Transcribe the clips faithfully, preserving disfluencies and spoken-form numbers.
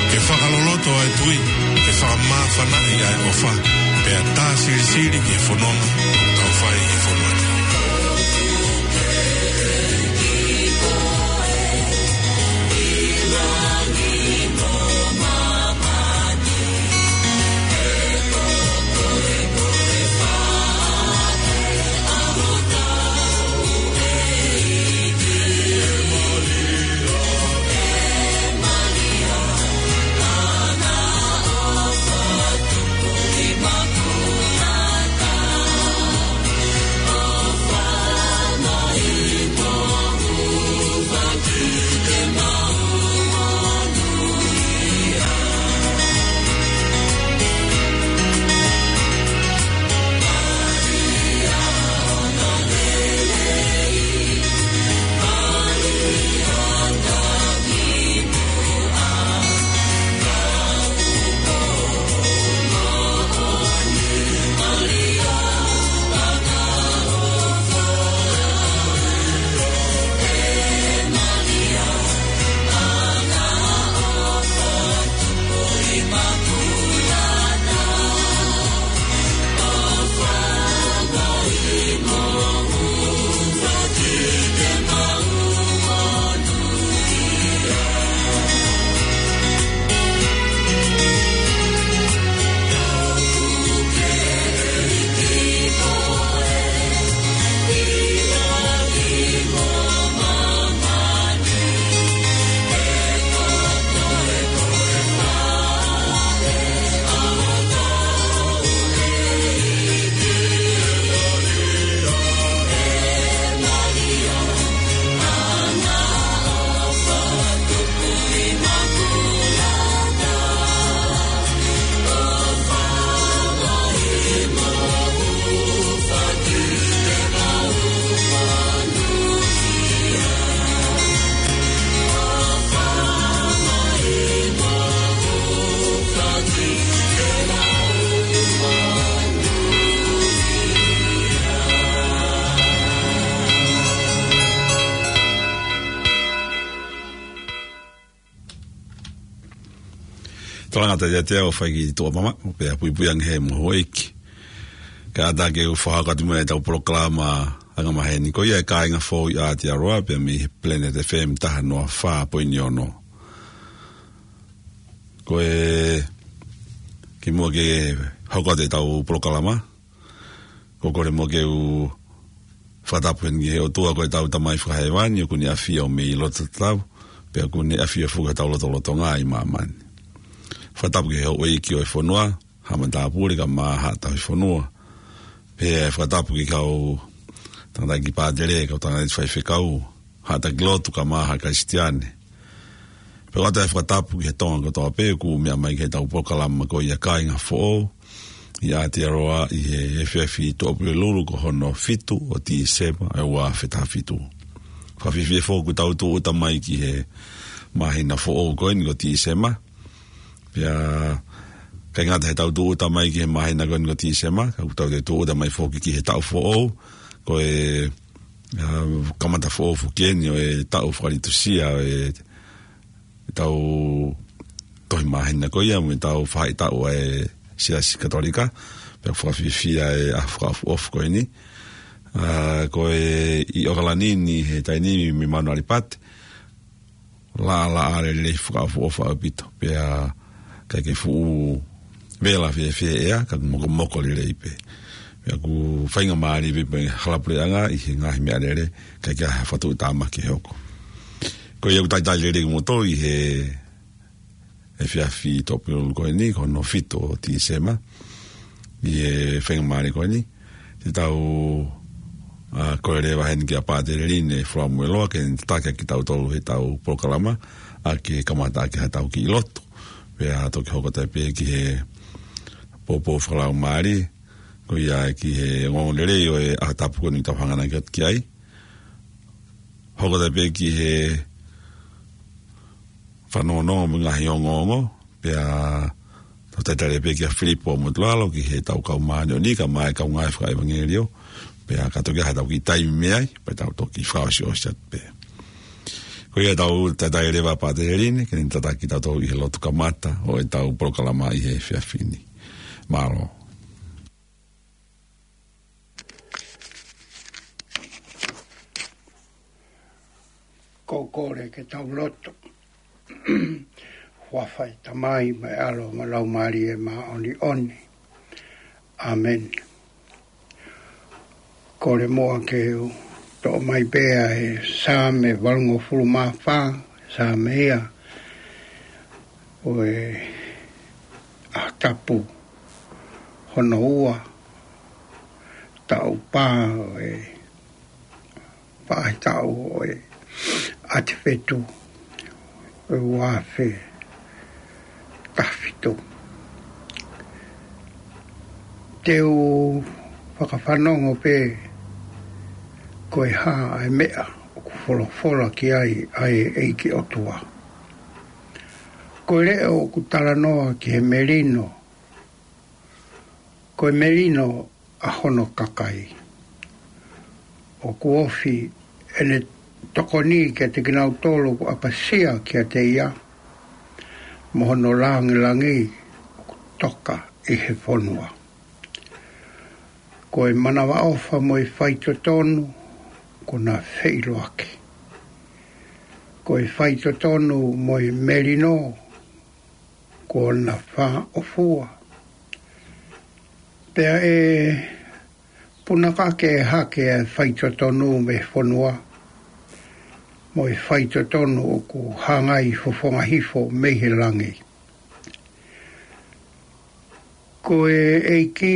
Ke fakaloloto ʻa e tui, ke fakamāfanaʻi ʻa e ʻofa, pea tā silisili ki he fononga ʻoku tau fai ʻi he fonua ni. Tolangata ia te au fai ki tuʻa mama, pea puipui ange he mo houʻeiki. Kae ʻatā ke u fakahoko atu mai ʻetau polokalama angamaheni ko ia e Kāinga Foʻou ʻi Aotearoa, pea mei he Planet F M taha noa fā poini ono. Ko e kimuʻa ke hoko atu ʻetau polokalama, ʻoku ou kole muʻa ke u fakatapu heni ki he ʻOtua ko ʻetau Tamai Fakahēvani, ʻoku ne ʻafio mei loto tatau, pea ʻoku ne ʻafio foki ʻi hotau lotolotonga ʻi māmani. Fakatapu ki he houʻeiki ʻo e fonua, Haʻa Matāpule kae ʻumaʻā Haʻa Tauhi Fonua. Pea fakatapu ki he kau tangataʻeiki pātele, kau tangataʻeiki faifekau, haʻa taki lotu kae ʻumaʻā haʻa Kalisitiane. Pea ʻoatu e fakatapu ki he Tonga kotoa pē ʻoku meʻa mai ki heʻetau polokalama ko ia Kāinga Foʻou ʻi Aotearoa ʻi he efiafi Tuʻapulelulu ko hono fitu ʻo Tīsema ʻo e ua afe taha fitu. Fakafiefia foki ʻoku tau tūʻuta mai ki he māhina foʻou ko eni ko Tīsema. Pea ʻikai ngata heʻetau tūʻuta mai ki he māhina ko eni ko Tīsema, ka ʻoku tau toe tūʻuta mai foki ki he taʻu foʻou, ko e, ʻa, kamata foʻou foki eni ʻo e taʻu fakalitusia ʻo e, ʻetau tohi māhina ko ia, mo ʻetau faʻahitaʻu ʻa e Siasi Katolika, pea fakafiefia e ʻaho fakaʻofoʻofa ko eni. ʻA, ko e ʻi ʻOkalani ni he taimi ni mei Manuʻalipati, laʻalaʻā lelei fakaʻofoʻofa ʻaupito, pea ʻikai ke fuʻu vela fēfē ʻa e ʻea, ka ʻoku mokomoko lelei pē. Pea ʻoku faingamālie pē ʻa e hala puleʻanga ʻi he ngaahi meʻalele, ʻikai ke ʻi ai ha faʻahinga tāmaki ʻe hoko. Ko ia ʻoku talitali lelei kimoutolu ʻi he efiafi Tuʻapulelulu ko eni, ko hono fitu ʻo Tīsema, ʻi he faingamālie ko eni, te tau, ʻa, kole leva heni kia Pātele Line Fulamueloa, ke ne tataki ʻaki kitautolu heʻetau polokalama, ʻaki e kamata ʻaki haʻatau kiʻi lotu. Pea toki hoko atu pē ki he poupou fakalaumālie, ko ia ki he ongoongolelei ʻo e ʻaho tapu ko eni ʻoku tau hanganaki atu ki ai. Hoko atu pē ki he fanongonongo mo e ngaahi ongoongo, pea tau talitali pē kia Filipo Motulalo ki heʻetau kau māʻoniʻoni kae ʻumaʻā e kau ngāue fakaʻevangeliō, pea ka toki ʻi ai haʻatau kiʻi taimi mei ai, pea tau toki fakaʻosiʻosi atu pē. Ko ia tau talitali leva Pātele Lini, ke ne tataki kitautolu ʻi he lotu kamata ʻo ʻetau polokalama ʻi he efiafi ni. Mālō. Ko e kole ke tau lotu. Huafa ʻo e Tamai mo e ʻAlo mo e Laumālie Māʻoniʻoni. ʻĀmeni. Kole muʻa ke u toʻo mai pē ʻa e Saame valungofulu mā fā, Saame ia ʻo e ʻaho tapu hono ua, taʻu pā ʻo e faʻahitaʻu ʻo e ʻAtivetu ʻo e ua afe taha fitu. Te u fakafanongo pē ko e hā ʻa e meʻa ʻoku folofola ki ai ʻa e ʻEiki ʻOtua. Ko e leʻo ʻoku talanoa ki he melino, ko e melino ʻa hono kakai. ʻOku ofi ʻene tokoni kiate kinautolu ʻoku ʻapasia kiate ia, mo hono lāngilangi ʻoku toka ʻi he fonua. Ko e manavaʻofa mo e faitotonu kuo na feʻiloaki. Ko e faitotonu mo e melino kuo na fāʻofua. Pea ʻe punakake hake ʻa e faitotonu mei he fonua, mo e faitotonu ʻoku hangai fofonga hifo mei he langi. Ko e ʻEiki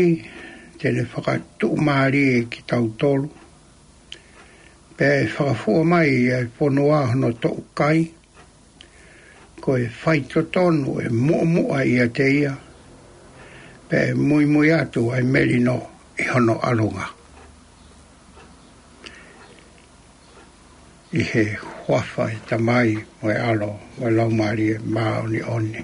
te ne fakatuʻumālie kitautolu, pea ʻe fakafua mai ʻa e fonua hono toʻukai. Ko e faitotonu ʻe muʻomuʻa ʻiate ia, pea ʻe muimui atu ʻa e melino ʻi hono ʻalunga. ʻI he huafa ʻo e Tamai mo e ʻAlo mo e Laumālie Māʻoniʻoni.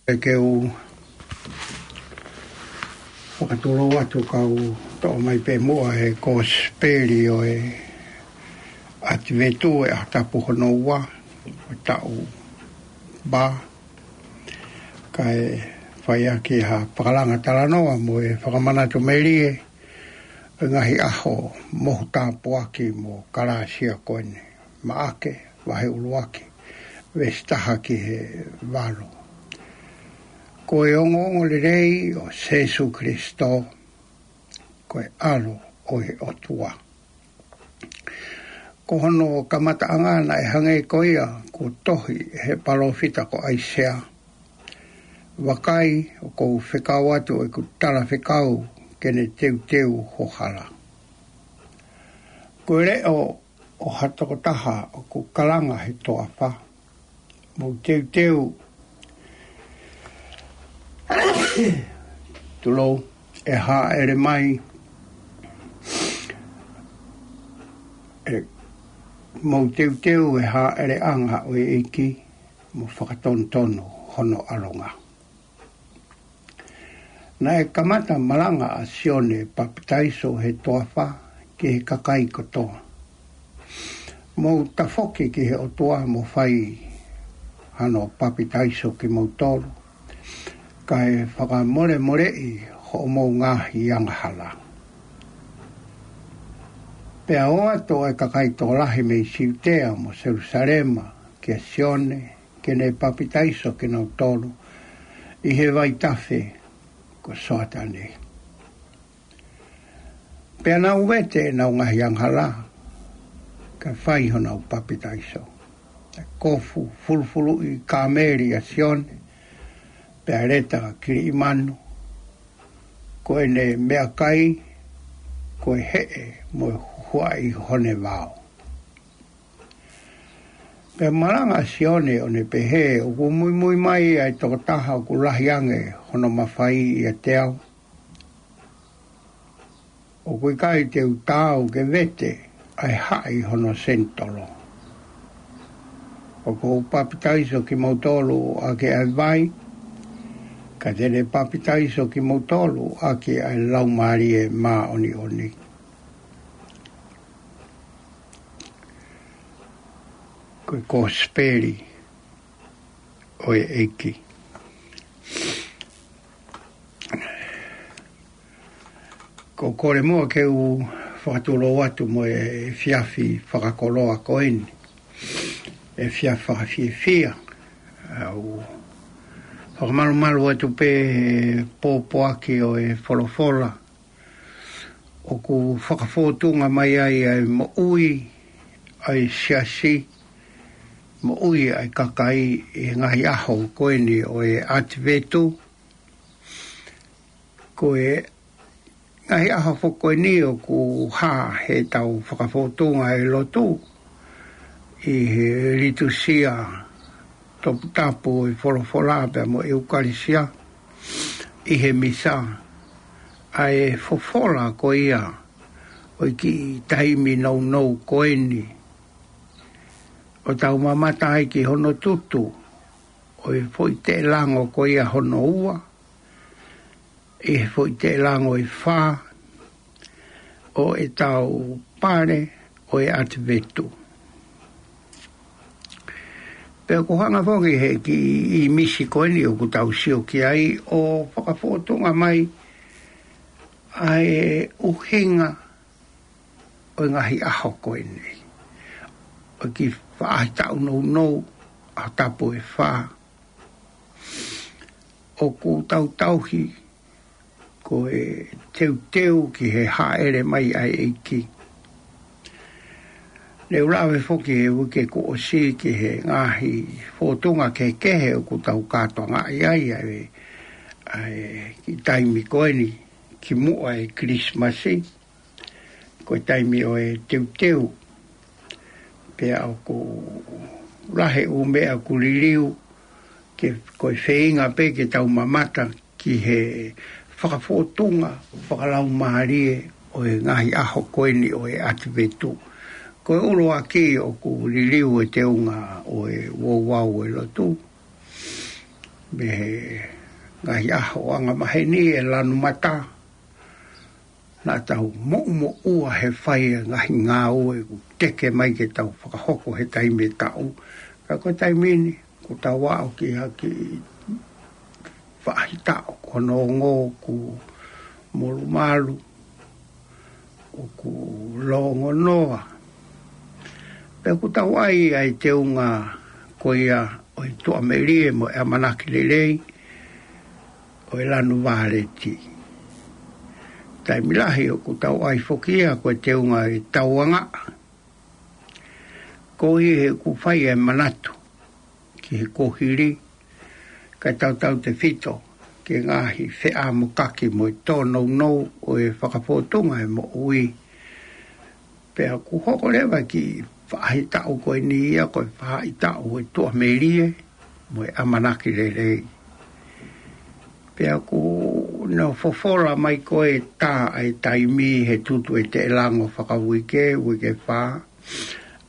ʻE ke u fakatulou atu kau toʻo mai pē muʻa ʻa e kosipeli ʻo e ʻAtivetu ʻo e ʻaho tapu hono ua ʻo e taʻu Ba, kae fai ʻaki ha fakalanga talanoa mo e fakamanatu melie ʻo e ngaahi ʻaho mohu tāpuaki mo kalāsia ko eni. Maʻake, vahe ʻuluaki, veesi taha ki he valu. Ko e ongoongolelei ʻo Sēsū Kilisitō, ko e ʻAlo ʻo e ʻOtua. Ko hono kamataʻanga naʻe hangē ko ia kuo tohi ʻe he palōfita ko ʻAisea: Vakai, ʻoku ou fekau atu ʻeku talafekau ke ne teuteu ho hala. Ko e leʻo ʻo ha tokotaha ʻoku kalanga he toafa: Mou teuteu, tulou, ʻe hāʻele mai, ʻe, mou teuteu ʻe hāʻeleʻanga ʻo e ʻEiki, mo fakatonutonu hono ʻalunga. Naʻe kamata malanga ʻa Sione Papitaiso he toafa ki he kakai kotoa: Mou tafoki ki he ʻOtua mo fai hano papitaiso kimoutolu, kae fakamolemoleʻi hoʻomou ngaahi angahala. Pea ō atu ʻa e kakai tokolahi mei Siutea mo Selusalema kia Sione ke ne papitaiso kinautolu ʻi he vaitafe ko Soatane. Pea nau vete ʻenau ngaahi angahala, kae fai honau papitaiso. Kae kofu fulufuluʻi kāmeli ʻa Sione, pea leta kiliʻimanu, ko ʻene meʻakai ko e heʻe mo e huhuaʻi hone vao. Pea malanga ʻa Sione ʻo ne pehē: ʻOku muimui mai ʻa e tokotaha ʻoku lahi ange hono mafai ʻiate au. ʻOku ʻikai te u taau ke vete ʻa e haʻi hono senitolo. ʻOku ou papitaiso kimoutolu ʻaki ʻa e vai, ka te ne papitaiso kimoutolu ʻaki ʻa e Laumālie Māʻoniʻoni. Ko e kosipeli ʻo e ʻEiki. Ko e kole muʻa ke u fakatulou atu mo e efiafi fakakoloa ko eni, efiafi fakafiefia. ʻOku ou fakamalumalu atu pē he pōpoaki ʻo e folofola ʻoku fakafōtunga mai ai ʻa e moʻui ʻa e siasi, moʻui ʻa e kakai ʻi he ngaahi ʻaho ko eni ʻo e ʻAtivetu. Ko e ngaahi ʻaho foki ko eni ʻoku hā heʻetau fakafōtunga e lotu ʻi he litūsia toputapu ʻo e folofola pea mo e ʻEukalisia, ʻi he misa, ʻa e fofola ko ia ʻo e kiʻi taimi nounou ko eni ʻo tau mamata ai ki hono tutu ʻo e foʻi teʻelango ko ia hono ua, ʻi he foʻi teʻelango ʻe fā ʻo ʻetau pale ʻo e ʻAtivetu. Pea ʻoku hanga foki he kiʻi ʻīmisi ko eni ʻoku tau sio ki ai ʻo fakafōtunga mai ʻa e ʻuhinga ʻo e ngaahi ʻaho ko eni, ʻo e kiʻi faʻahitaʻu nounou, ʻaho tapu ʻe fā, ʻoku tau tauhi ko e teuteu ki he hāʻele mai ʻa e ʻEiki. Ne u lave foki he uike kuo ʻosi ki he ngaahi fōtunga kehekehe ʻoku tau kātoangaʻi ai ʻa e, ʻa e kiʻi taimi ko eni kimuʻa e Kilisimasi, ko e taimi ʻo e teuteu. Pea ʻoku lahi ʻū meʻa ʻoku liliu, ke, ko e feinga pē ke tau mamata ki he fakafōtunga fakalaumālie ʻo e ngaahi ʻaho ko eni ʻo e ʻAtivetu. Ko e ʻuluaki ʻoku liliu e teunga ʻo e ouau ʻo e lotu mei he ngaahi ʻaho ʻo angamaheni ʻe lanu mata. Naʻa tau moʻumoʻua he fai e ngaahi ngāue ʻoku teke mai ke tau fakahoko he taimi ʻe taʻu. Ka ko e taimi ni, ʻoku tau aʻu ki ha kiʻi faʻahitaʻu ko hono ongo ʻoku molumalu, ʻoku longonoa. Pea ʻoku tau ʻai ʻa e teunga ko ia ʻo e tuʻamelie mo e ʻamanaki lelei ʻo e lanu vāleti. Taimi lahi ʻoku tau ʻai foki ia ko e teunga ʻo e tauangaʻa. Koeʻuhi he ʻoku fai e manatu ki he kuohili, kae tautautefito ki he ngaahi feʻamokaki mo e tōnounou ʻo e fakafōtunga e moʻui. Pea ʻoku hoko leva ki he faʻahitaʻu ko eni ia ko e faʻahitaʻu ʻo e tuʻamelie mo e ʻamanaki lelei. Pea ʻoku ne fofola mai ko e tā ʻa e taimi he tutu ʻe teʻelango fakauike, uike fā,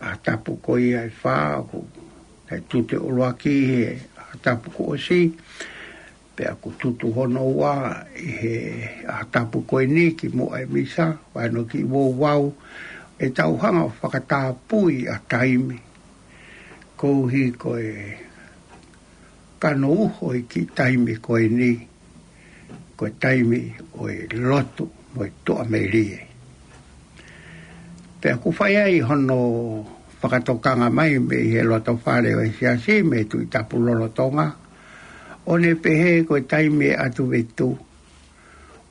ʻa e tapu ko ia ʻe fā, ʻoku ʻi ai e tutu ʻuluaki he ʻaho tapu kuo ʻosi, pea ʻoku tutu hono ua ʻi he ʻaho tapu ko eni kimuʻa e misa, vaino ki uouau, ʻe tau hanga ʻo fakatapui ʻa e taimi. Koeʻuhi ko e kano uho ʻi he kiʻi taimi ko eni, ko e taimi ʻo e lotu mo e tuʻamelie. Pea ʻoku fai ai hono fakatokanga mai mei he loto fale ʻo e siasi mei he Tuʻi Tapu lolotonga, ʻo ne pehē ko e taimi ʻe ʻatu vetu,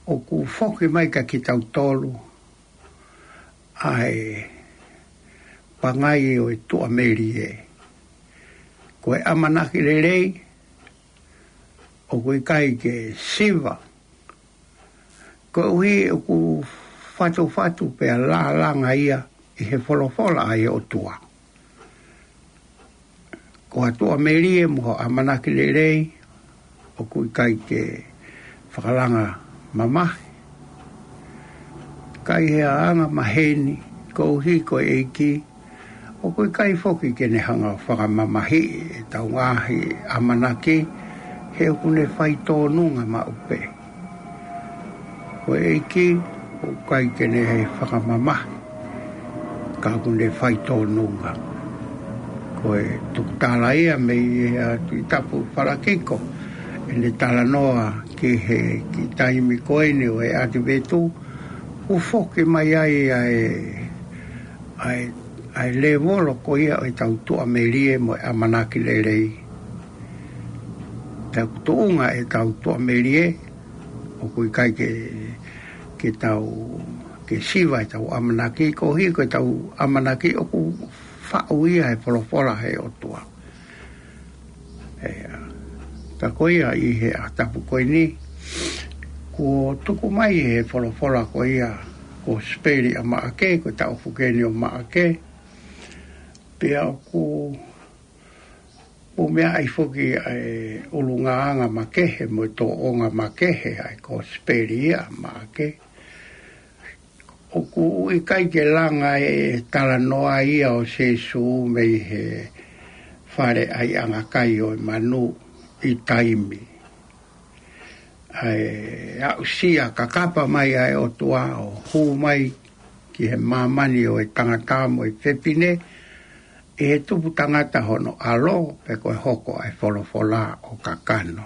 ʻoku foki mai kia kitautolu ʻa e pangai ʻo e tuʻamelie. Ko e ʻamanaki lelei, ʻoku ʻikai ke siva. Koeʻuhi ʻoku fatufatu pea lālanga ia ʻi he folofola ʻa e ʻOtua. Ko e tuʻamelie mo e ʻamanaki lelei, ʻoku ʻikai ke fakalanga mamahi. ʻIkai ha anga maheni, koeʻuhi ko e ʻEiki, ʻoku ʻikai foki ke ne hanga ʻo fakamamahiʻi ʻetau ngaahi ʻamanaki, he ʻoku ne fai tōnunga maʻu pē. Ko e ʻEiki, ʻoku ʻikai ke ne fakamamahi, ka ʻoku ne fai tōnunga. Ko e tukutala ia mei he Tuʻi Tapu Falakiko, ʻene talanoa ki he kiʻi taimi ko eni ʻo e ʻAtivetu, ʻoku foki mai ai ʻa e, ʻa e, ʻa e lēvolo ko ia ʻo ʻetau tuʻamelie mo e ʻamanaki lelei. Pea ʻoku tuʻunga ʻetau tuʻamelie, ʻoku ʻikai ke, ke tau, ke siva ʻetau ʻamanaki, koeʻuhi ko ʻetau ʻamanaki ʻoku faʻu ia he folofola ʻa e ʻOtua. ʻIo. Ka ko ia ʻi he ʻaho tapu ko eni, kuo tuku mai he folofola ko ia, ko e Kosipeli ʻa Maʻake, ko e taʻu foki eni ʻo Maʻake, pea ʻoku, ʻoku meaʻi foki ʻa e ʻulungaanga makehe mo e tōʻonga makehe ʻa e Kosipeli ʻa Maʻake. ʻOku ʻikai ke langa e talanoa ia ʻo Sīsū mei he fale ʻa e ʻangakai ʻo e manu ʻi taimi. ʻA e aʻusia kakapa mai ʻa e ʻOtua ʻo hū mai ki he māmani ʻo e tangata mo e fefine, ʻi he tupu tangata hono ʻAlo, pea ko e hoko ʻa e folofola ʻo kakano.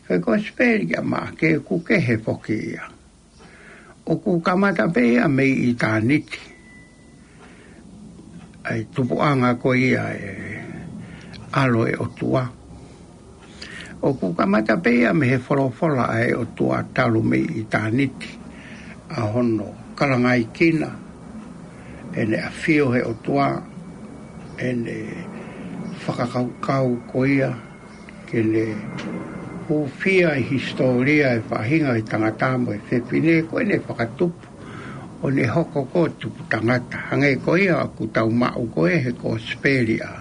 Ko e Kosipeli ʻa Maʻake ʻoku kehe foki ia. ʻOku kamata pē ia mei ʻitāniti. ʻA e tupuʻanga ko ia ʻa e ʻAlo ʻo e ʻOtua. ʻOku kamata pē ia mei he folofola ʻa e ʻOtua talu mei ʻitāniti. ʻA hono kalangaʻi kina, ʻene ʻafio he ʻOtua, ʻene fakakaukau ko ia, ke ne hūfia ʻa e hisitōlia ʻa e faʻahinga ʻo e tangata mo e fefine, ko ʻene fakatupu, ʻo ne hoko ko e tupu tangata. Hangē ko ia ʻoku tau maʻu ko ē he Kosipeli ʻa,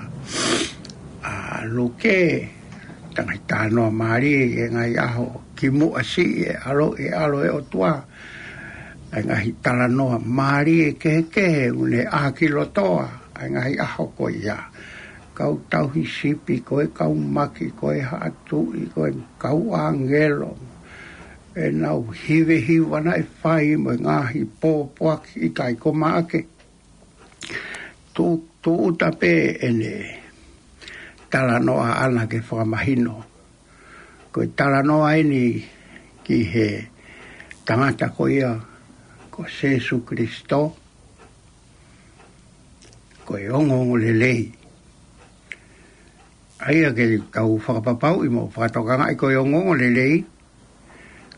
ʻa Luke, tangata talanoa mālie ʻi he ngaahi ʻaho kimuʻa siʻi e ʻAlo, e ʻAlo ʻo e ʻOtua, ʻa e ngaahi talanoa mālie kehekehe, ʻoku ne ʻākilotoa ʻa e ngaahi ʻaho ko ia. Kau tauhi sipi, ko e kau maki, ko e haʻa tuʻi, ko e kau ʻāngelo. ʻEnau hivehiva naʻe fai mo e ngaahi pōpoaki ʻikai ko Maʻake. Tu, tūʻuta pē ʻene talanoa ʻaʻana ke fakamahino. Ko e talanoa eni ki he tangata ko ia ko Sēsū Kilisitō, ko e ongoongolelei. ʻA ia ke tau fakapapauʻi mo fakatokangaʻi ko e ongoongolelei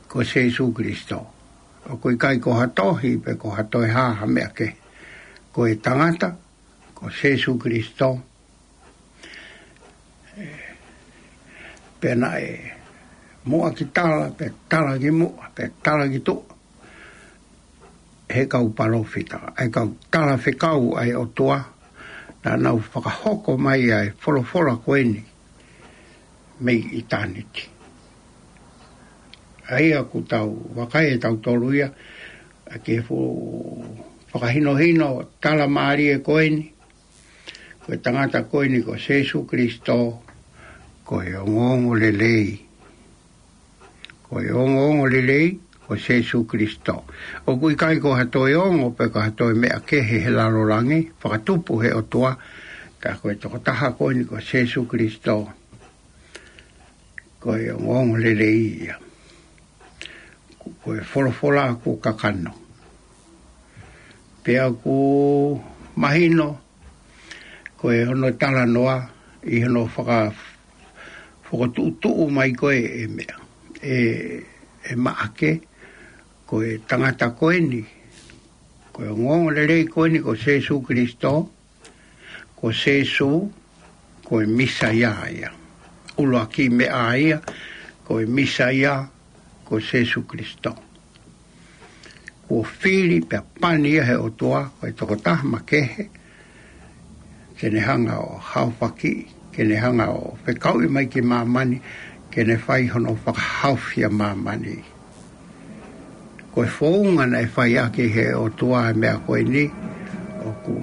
ko Sēsū Kilisitō. ʻOku ʻikai ko ha tohi pe ko ha toe hā ha meʻa kehe. Ko e tangata ko Sēsū Kilisitō. Pea naʻe muʻa ki tala, pea tala ki muʻa, pea tala ki tuʻa, he kau palōfita, ʻa e kau talafekau ʻa e ʻOtua, naʻa nau fakahoko mai ʻa e folofola ko eni mei ʻitāniti. ʻA ia ʻoku tau vakai ʻe tautolu ia, ʻa ke fu-, fakahinohino tala mālie ko eni, ko e tangata ko eni ko Sēsū Kilisitō, ko e ongoongolelei. Ko e ongoongolelei ko Sēsū Kilisitō. ʻOku ʻikai ko ha toe ongo pe ko ha toe meʻa kehe he lalolangi, fakatupu he ʻOtua, ka ko e tokotaha ko eni ko Sēsū Kilisitō, ko e ongoongolelei ia. Ko e folofola kuo kakano. Pea ʻoku mahino, ko e hono talanoa ʻi hono faka-, fokotuʻutuʻu mai ko ē ʻe meʻa, ʻe, ʻe Maʻake, ko e tangata ko eni, ko e ongoongolelei ko eni ko Sēsū Kilisitō, ko Sēsū, ko e Mīsaia ia. ʻUluaki meʻa ia, ko e Mīsaia, ko Sēsū Kilisitō. Kuo fili pea pani ia he ʻOtua, ko e tokotaha makehe, ke ne hanga ʻo haofaki, ke ne hanga ʻo fekauʻi mai ki māmani, ke ne fai hono fakahaofi ʻa māmani. Ko e founga naʻe fai ʻaki he ʻOtua e meʻa ko eni, ʻoku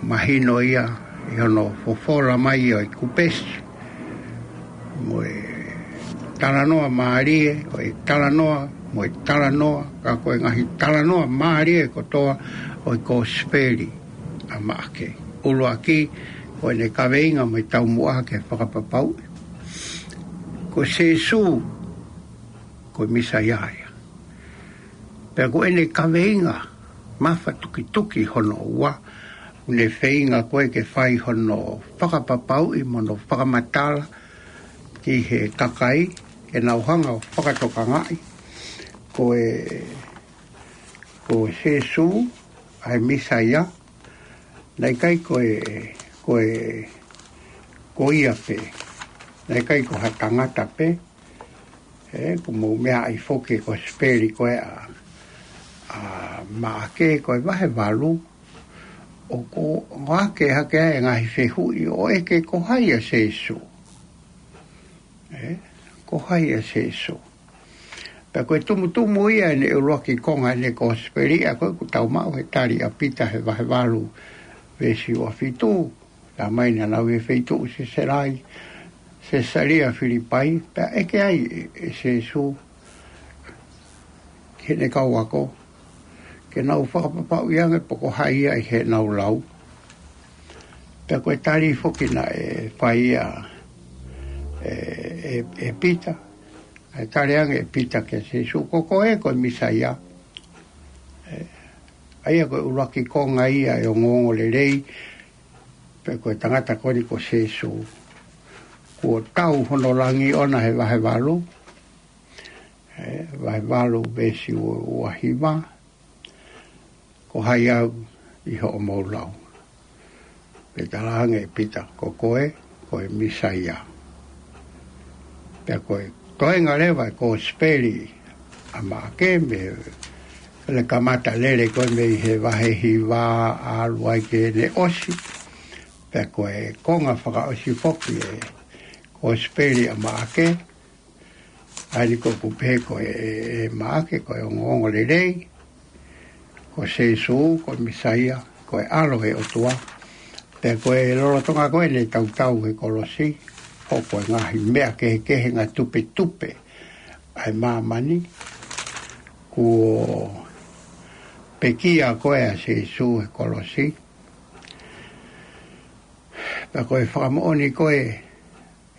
mahino ia ʻi hono fofola mai ʻo e kupesi. Mo e talanoa mālie, ʻo e talanoa, mo e talanoa, ka ko e ngaahi talanoa mālie kotoa ʻo e kosipeli ʻa Maʻake. ʻUluaki, ko ʻene kaveinga mo e taumuʻa ke fakapapauʻi. Ko Sēsū, ko e Mīsaia ia. Pea ko ʻene kaveinga mafatukituki hono ua, ʻoku ne feinga ko ē ke fai hono fakapapauʻi mo hono fakamatala ki he kakai, ke nau hanga ʻo fakatokangaʻi, ko e, ko Sēsū, ʻa e Mīsaia, naʻe ʻikai ko e, ko e, ko ia pē, naʻe ʻikai ko ha tangata pē, ē, ʻoku mou meaʻi foki ko e kosipeli ko ē ʻa, ʻa Maʻake ko e vahe valu, ʻoku ʻohake hake ai e ngaahi fehuʻi ʻo ʻeke ko hai ʻa Sēsū. Ē, ko hai ʻa Sēsū. Pea ko e tumutumu ia ʻene ʻuluaki konga ʻene kosipeli, ʻa ko ē ʻoku tau maʻu he tali ʻa Pita he vahe valu, veesi ua fitu, tā mai naʻa nau ʻi he feituʻu Sesalia, Sesalia Filipai, pea ʻeke ai ʻe, ʻe Sēsū ki heʻene kau ako, ke nau fakapapauʻi ange pe ko hai ia ʻi heʻenau lau. Pea ko e tali foki naʻe fai ia ʻe, ʻe, ʻe Pita, ʻa e tali ange ʻe Pita kia Sēsū, ko koe ko e Mīsaia. Ē, ʻa ia ko e ʻuluaki konga ia ʻo e ongoongolelei, pe ko e tangata ko eni ko Sēsū. Kuo tau hono langi ʻona he vahe valu, ē, vahe valu veesi ua, ua hiva, ko hai au ʻi hoʻomou lau. Pea talaange ʻe Pita, ko koe, ko e Mīsaia. Pea ko e toenga leva e kosipeli ʻa Maʻake mei he kamata lele ko ē mei he vahe hiva ʻalu ai ki heʻene ʻosi. Pea ko e konga fakaʻosi foki e kosipeli ʻa Maʻake, ʻa eni ko ē ʻoku pehē ko e, e, e Maʻake, ko e ongoongolelei, ko Sēsū, ko e Mīsaia, ko e ʻAlo ʻo e ʻOtua. Pea ko e lolotonga ko ē ʻene tautau he kolosi, ko e ngaahi meʻa kehekehe, ngaahi tupetupe ʻa e māmani, kuo pekia ko ē ʻa Sēsū he kolosi. Pea ko e fakamoʻoni ko ē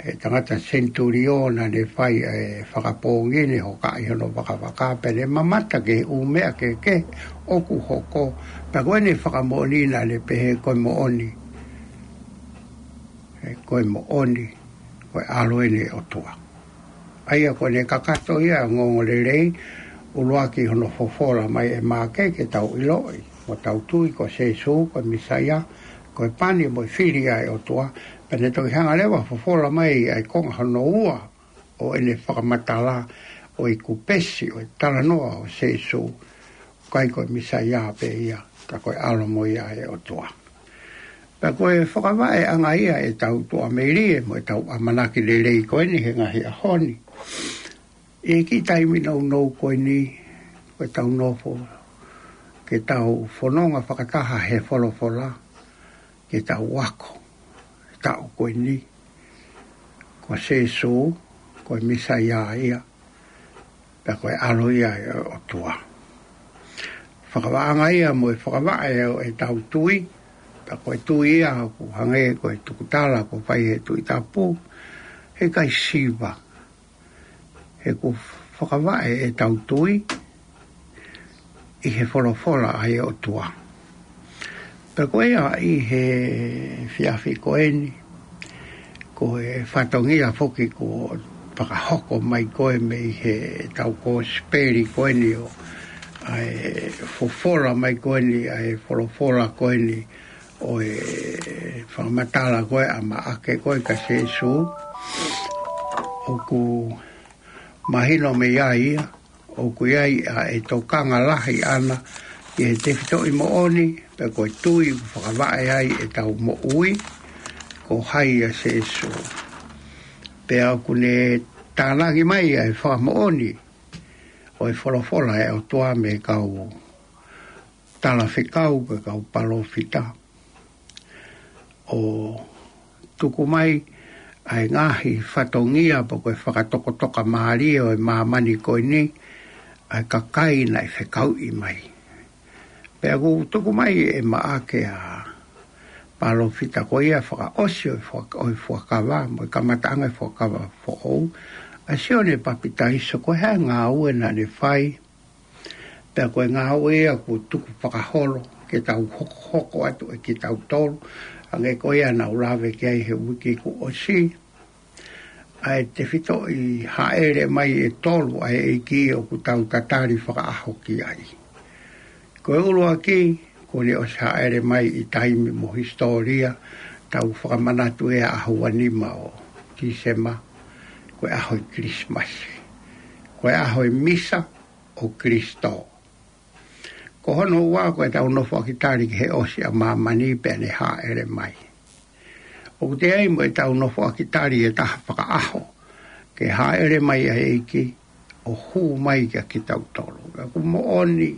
ʻe he tangata senitulio naʻa ne fai e fakapoongi, ne hokaʻi hono vakavaka pea ne mamata ki he ʻū meʻa kehekehe ʻoku hoko. Pea ko ʻene fakamoʻoni naʻa ne pehē ko e moʻoni, ʻe, ko e moʻoni, ko e ʻAlo eni ʻo e ʻOtua. ʻA ia ko ʻene kakato ia ʻa e ongoongolelei, ʻuluaki hono fofola mai ʻe Maʻake ke tau ʻiloʻi mo tau tui ko Sīsū ko e Mīsaia, ko e pani mo e fili ʻa e ʻOtua. Pea ne toki hanga leva ʻo fofola mai ʻa e konga hono ua ʻo ʻene fakamatala ʻo e kupesi ʻo e talanoa ʻo Sīsū, ʻikai ko e Mīsaia pē ia, ka ko e ʻAlo mo ia ʻo e ʻOtua. Pea ko e fakavaʻeʻanga ia ʻetau tuʻamelie mo ʻetau ʻamanaki lelei ko eni he ngaahi ʻaho ni. ʻI he kiʻi taimi nounou ko eni, ko ʻetau nofo ke tau fononga fakataha he folofola, ke tau ako he taʻu ko eni, ko Sīsū ko e Mīsaia ia, pea ko e ʻAlo ia ʻo e ʻOtua. Fakavaʻeʻanga ia mo e fakavaʻe ʻo ʻetau tui, pea ko e tui ia ʻoku hangē ko e tukutala kuo fai ʻe he Tuʻi Tapu, heʻikai siva, he ʻoku fakavaʻe ʻetau tui ʻi he folofola ʻa e ʻOtua. Pea ko ia ʻi he efiafi ko eni, ko e fatongia foki kuo fakahoko mai ko ē mei heʻetau kosipeli ko eni ʻo, ʻa e fofola mai ko eni, ʻa e folofola ko eni ʻo e fakamatala ko ē ʻa Maʻake ko ē kia Sīsū, ʻoku mahino mei ai ia, ʻoku ʻi ai ʻa e tokanga lahi ʻana ki he tefitoʻi moʻoni, pea ko e tui ʻoku fakavaʻe ai ʻetau moʻui, ko hai ʻa Sīsū. Pea ʻoku ne tānaki mai ʻa e fakamoʻoni ʻo e folofola ʻa e ʻOtua mei he kau talafekau, ko e kau palōfita, ʻo tuku mai ʻa e ngaahi fatongia pe ko e fakatokotoka mālie ʻo e māmani ko eni, ʻa e kakai naʻe fekauʻi mai. Pea ʻoku tuku mai ʻe Maʻake ʻa e palōfita ko ia fakaʻosi ʻo e fuak-, ʻo e fuakava, mo e kamataʻanga ʻo e fuakava foʻou, ʻa Sione Papitaiso, ko e hā e ngāue naʻa ne fai, pea ko e ngāue ia kuo tuku fakaholo ke tau hokohoko atu ʻe kitautolu, hangē ko ia naʻa ku lave ki ai he uike kuo ʻosi, ʻa e tefitoʻi hāʻele mai ʻe tolu ʻa e ʻEiki ʻoku tau tatali fakaʻaho ki ai. Ko e ʻuluaki, kuo ne ʻosi hāʻele mai ʻi taimi mo hisitōlia, tau fakamanatu ʻa e ʻaho uanima ʻo Tīsema, ko e ʻaho ʻo e Kilisimasi. Ko e ʻaho ʻo e Misa ʻo Kilisitō. Ko hono ua, ko ʻetau nofoʻaki tali ki he ʻosi ʻa māmani pea ne hāʻele mai. ʻOku toe ʻi ai mo ʻetau nofoʻaki tali ʻe taha fakaʻaho, ke hāʻele mai ʻa e ʻEiki ʻo hū mai kia kitautolu. ʻOku moʻoni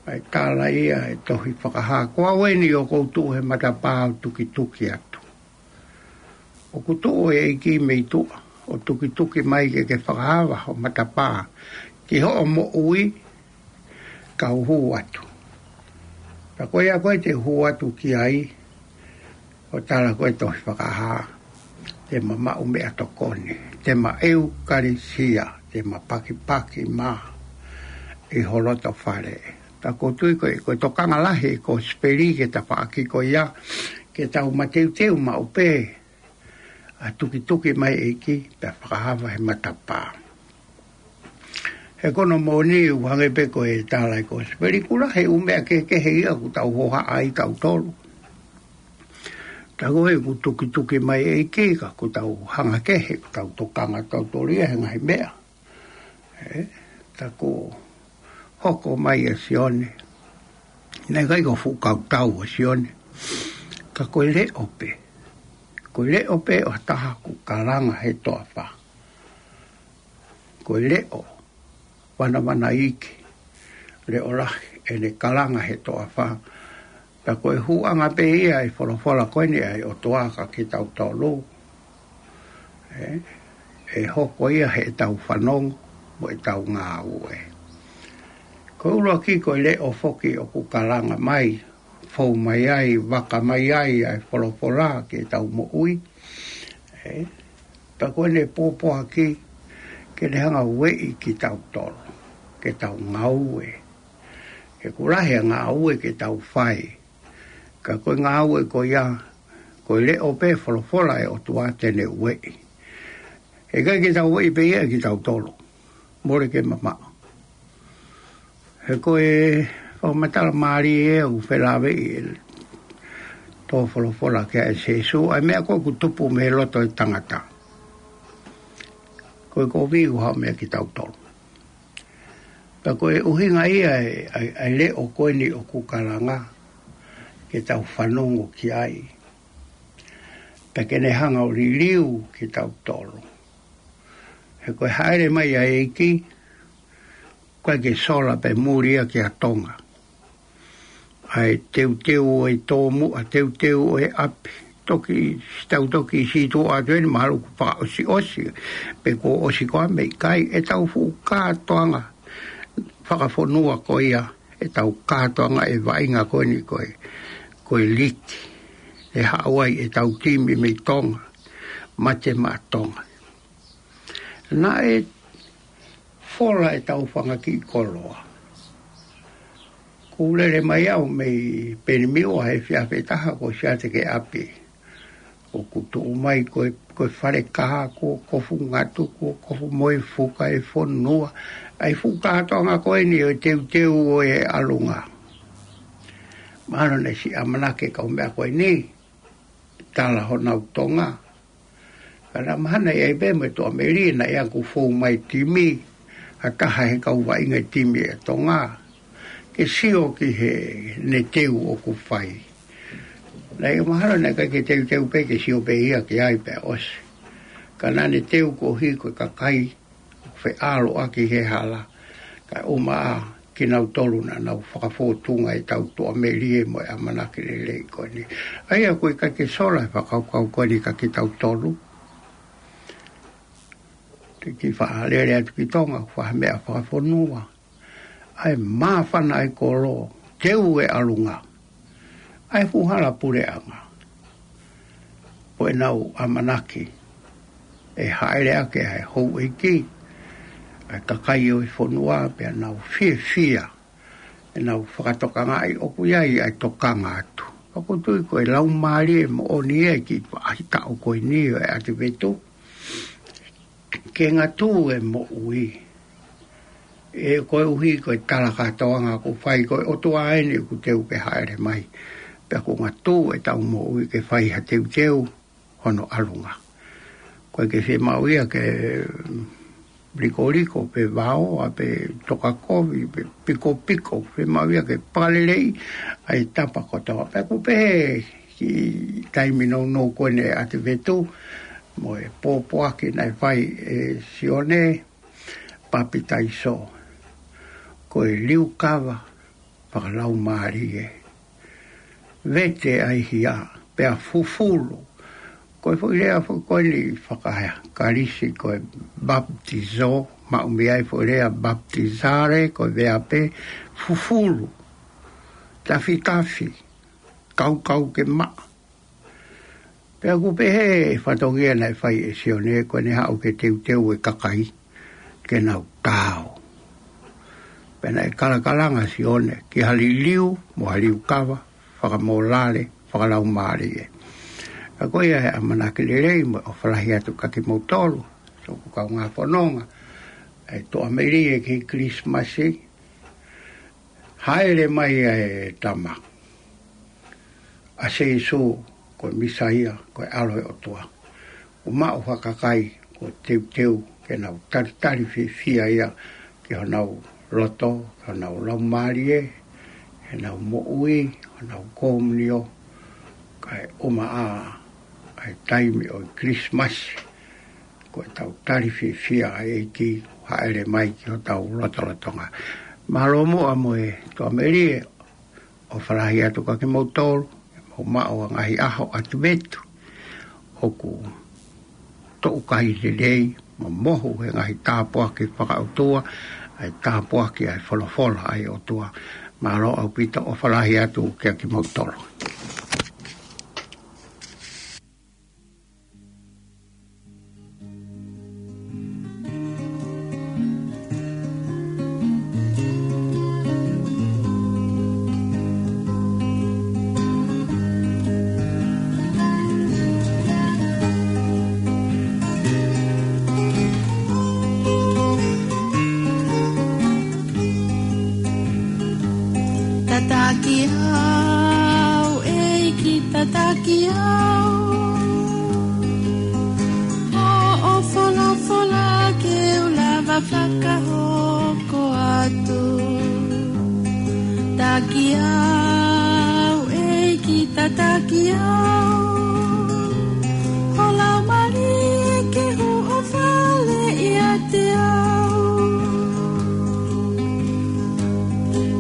ʻa e tala ia ʻa e tohi Fakahā: Ko au eni ʻoku ou tuʻu he matapā ʻo tukituki atu. ʻOku tuʻu ʻa e ʻEiki mei tuʻa ʻo tukituki mai ke ke fakaava ho matapā ki hoʻo moʻui, kau hū atu. Pea ko ia ko ē te u hū atu ki ai, ʻoku tala ko ē he tohi Fakahā, te ma maʻu meʻatokoni, te ma ʻeukalisia, te ma pakipaki mā ʻi ho loto fale. Pea ʻoku ou tui ko e, ko e tokanga lahi ʻo e kosipeli ki he tafaʻaki ko ia, ke tau mateuteu maʻu pē ʻa e tukituki mai ʻa e ʻEiki pea fakaava he matapā. He ko hono moʻoni, ʻoku hangē pē ko e tala ʻa e kosipeli, ʻoku lahi e ʻū meʻa kehekehe ia ʻoku tau hohaʻa ai tautolu. Tā ko ē ʻoku tukituki mai ʻa e ʻEiki, ka ʻoku tau hanga kehe, ʻoku tau tokanga tautolu ia he ngaahi meʻa. Ē, tā ko e hoko mai ʻa Sione, naʻe ʻikai ko e fuʻu kautau ʻa Sione, ka ko e leʻo pē. Ko e leʻo pē ʻo ha taha ʻoku kalanga he toafa. Ko e leʻo vanavanaiki, leʻo lahi, ʻene kalanga he toafa. Pea ko e hūʻanga pē ia ʻa e folofola ko eni ʻa e ʻOtua kia kitautolu, ē, ʻe hoko ia heʻetau fanongo mo ʻetau ngāue. Ko e ʻuluaki, ko e leʻo foki ʻoku kalanga mai, fou mai ai, vaka mai ai ʻa e folofola ki heʻetau moʻui, ē. Pea ko ʻene pōpoaki ke ne hanga ʻo ueʻi kitautolu ke tau ngāue. He ʻoku lahi ʻa e ngāue ke tau fai, ka ko e ngāue ko ia, ko e leʻo pē folofola ʻa e ʻOtua te ne ueʻi. He ʻikai ke tau ueʻi pē ia ʻe kitautolu. Mole ke mamaʻo. He ko e fakamatala mālie ʻoku felāveʻi ʻe he tō folofola ki ai ʻa Sīsū, ʻa e meʻa ko ē ʻoku tupu mei he loto ʻo e tangata. Ko e kovi ʻoku haʻu mei ai kitautolu. Pea ko e ʻuhinga ia ʻa e, ʻa e, ʻa e leʻo ko eni ʻoku kalanga ke tau fanongo ki ai. Pea ke ne hanga ʻo liliu kitautolu. He ko e hāʻele mai ʻa e ʻEiki, ʻikai ke sola pē muli ia kia Tonga. ʻA e teuteu ʻo e tōmuʻa, teuteu ʻo e ʻapi. Toki, tau toki sītuʻa atu eni mahalo ʻoku fakaʻosiʻosi. Pe kuo ʻosi koā mei kai ʻetau fuʻu kātoanga fakafonua ko ia, ʻetau kātoanga ʻe vaʻinga ko eni ko e, ko e liki. ʻE haʻu ai ʻetau timi mei Tonga, Mate Maʻa Tonga. Naʻe fola ʻetau fanga kiʻi koloa. Kuo lele mai au mei Penimiu ʻa e efiafi ʻe taha kuo ʻosi ʻatā ki ʻapi. ʻOku tuʻu mai ko e, ko e fale kaha, kuo kofu ngatu, kuo kofu mo e fuka ʻo e fonua. ʻA e fuʻu kātoanga ko eni ʻo e teuteu ʻo e ʻalunga. Mahalo naʻe siʻi ʻamanaki e kau meʻa ko eni, tala honau Tonga. Ka naʻe mahalo ʻi ai pē mo e tuʻamelie naʻe ʻalu ʻo fou mai timi, ʻa e taha he kau vaʻinga timi ʻa Tonga, ke sio ki heʻene teu ʻoku fai. Naʻe mahalo naʻe ʻikai ke teuteu pē, ke sio pē ia ki ai pea ʻosi. Ka naʻa ne teu koeʻuhi ko e kakai feʻaluʻaki he hala. Kae ʻumaʻā kinautolu naʻa nau fakafōtunga ʻetau tuʻamelie mo e ʻamanaki lelei ko eni. ʻA ia ʻoku ʻikai ke sola e fakakaukau ko eni kia kitautolu. Te u kiʻi faʻa lele atu ki Tonga, ʻoku fai ha meʻa fakafonua. ʻA e māfana ʻa e kolo, teu e ʻalunga. ʻA e fuʻu hala puleʻanga. Ko ʻenau ʻamanaki ʻe hāʻele ʻaki ʻa e houʻeiki, ʻa e kakai ʻo e fonua, pea nau fiefia ʻenau fakatokangaʻi ʻoku ʻi ai ʻa e tokanga atu. Pea ʻoku ou tui ko e laumālie moʻoni ia ʻi he kiʻi faʻahitaʻu ko eni ʻo e ʻAtivetu, ke ngatū e moʻui. ʻE koeʻuhi ko e tala kātoanga ʻoku fai, ko e ʻOtua eni ʻoku teu ke hāʻele mai. Pea ʻoku ngatū ʻetau moʻui ke fai ha teuteu hono ʻalunga. ʻOku ʻikai ke fiemaʻu ia ke likoliko pe vaoa pe tokakovi pe pikopiko, fiemaʻu ia ke pakalelei ʻa e tapa kotoa. Pea ʻoku pehē ki he taimi nounou ko eni ʻa e ʻAtivetu, mo e pōpoaki naʻe fai ʻe Sione Papitaiso, ko e liukava fakalaumālie. Vete ʻa e hia, pea fufulu. Ko e foʻi lea foʻi ko eni faka-Kalisi ko e baptizo, maʻu mei ai foʻi lea baptizare, ko e veape fufulu. Tafitafi, kaukau ke maʻa. Pea ʻoku pehē ʻe he fatongia naʻe fai ʻe Sione, ko ʻene haʻu ke teuteu e kakai ke nau tao. Pea naʻe kalakalanga Sione ki ha liliu mo ha liukava fakamōlale, fakalaumālie. Ka ko ia ʻa e ʻamanaki lelei mo e ʻofa lahi atu kia kimoutolu, siʻoku kaungā fononga, ʻa e tuʻamelie ki he Kilisimasi, hāʻele mai ʻa e Tama, ʻa Sīsū, ko e Mīsaia, ko e ʻAlo ʻo e ʻOtua. ʻO maʻu ha kakai kuo teuteu ke nau talitali fiefia ia ki honau loto, ki honau laumālie, heʻenau moʻui, honau komunio, kae ʻumaʻā ʻa e taimi ʻo e Kilisimasi, ko ʻetau tali fiefia ʻa e ʻEiki hāʻele mai ki hotau lotolotonga. Mālō muʻa mo e tuʻamelie, ʻofa lahi atu kia kimoutolu, ʻemau maʻu ʻa e ngaahi ʻaho ʻAtivetu, ʻoku toʻukai lelei, mo mohu he ngaahi tāpuaki fakaʻotua, ʻa e tāpuaki ʻa e folofola ʻa e ʻOtua. Mālō ʻaupito, ʻofa lahi atu kia kimoutolu. Tataki au, ʻEiki, tataki au. Hoʻo folofola ke u lava fakahoko atu. Taki au, ʻEiki, tataki au. Ho Laumālie ke huʻo fale ʻiate au.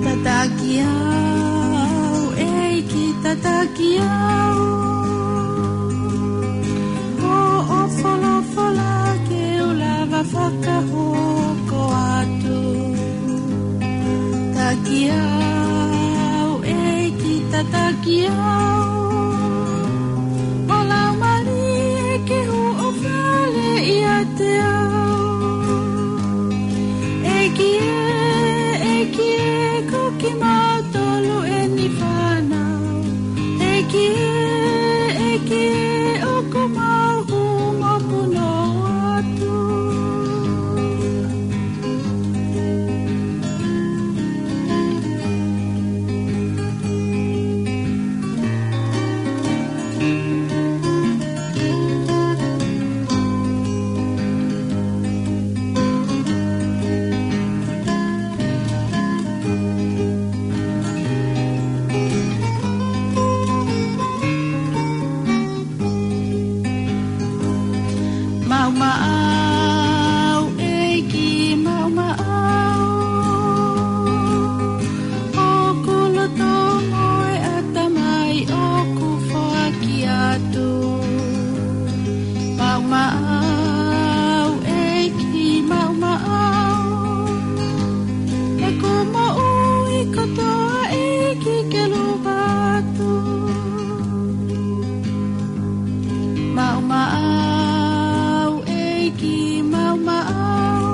Tataki au, ʻEiki, tataki au. Hoʻo folofola ke u lava fakahoko atu. Taki au, ʻEiki, tataki au. Ho Laumālie ke huʻo fale ʻiate au. ʻEiki ē, ʻEiki ē, ko kimautolu ʻeni fānau. ʻEiki ē, ʻEiki ē, ʻoku mau hū mo punou atu. Maʻu maʻau, ʻEiki, maʻu maʻau. Hoku loto mo e ʻatamai ʻoku foaki atu. Maʻu maʻau, ʻEiki, maʻu maʻau. ʻEku moʻui kotoa, ʻEiki, ke lava atu. Maʻu maʻau, ʻEiki, maʻu maʻau.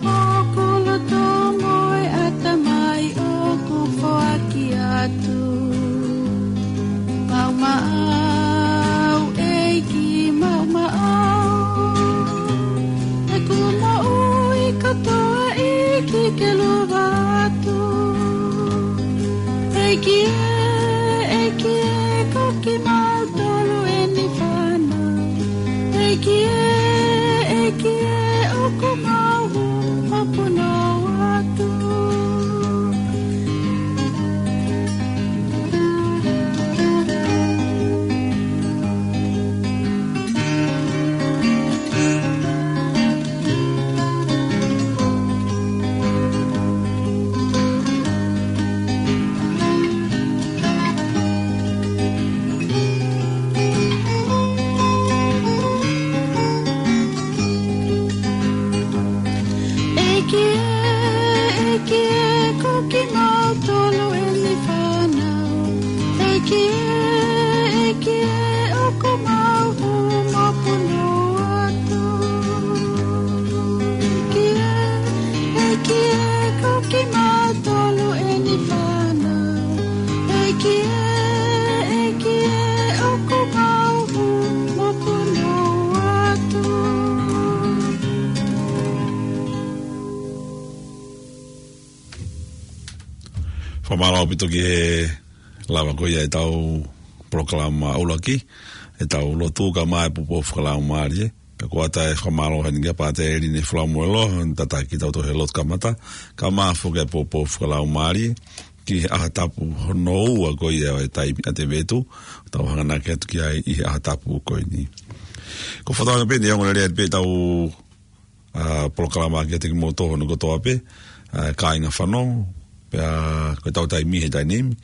Hoku loto mo e ʻatamai ʻoku foaki atu. Maʻu maʻau, ʻEiki, maʻu maʻau. ʻEku moʻui kotoa, ʻEiki, ke lava atu. ʻEiki ē, ʻEiki ē, ko kimautolu ʻeni fānau. ʻEiki ē, ʻEiki ē, ʻoku mau hū mo punou atu. ʻEiki ē, ʻEiki ē, ko kimautolu ʻeni fānau. ʻEiki ē, ʻEiki ē, ʻoku mau hū mo punou atu. ʻEiki ē, ʻEiki ē, ko kimautolu ʻeni fānau. ʻEiki ē, ʻEiki ē, ʻoku mau hū mo punou atu. Fakamālō ʻaupito ki he lava ko ia ʻetau polokalama ʻuluaki, ʻetau lotu kae ʻumaʻā e poupou fakalaumālie. Pea ko ia ʻe fakamālō heni kia Pātele Line Falamoeloa, tataki kitautolu he lotu kamata, kae ʻumaʻā foki e poupou fakalaumālie, ki he ʻaho tapu hono ua ko ia ʻo e taimi ʻa e vetu, tau hanganaki atu ki ai ʻi he ʻaho tapu ko eni. Ko e fakatātā pē eni, ongo lelei pē ʻetau ʻa, polokalama kiate kimoutolu hono kotoa pē, ʻa, kāinga fanongo, pea ko ʻetau taimi he taimi ni,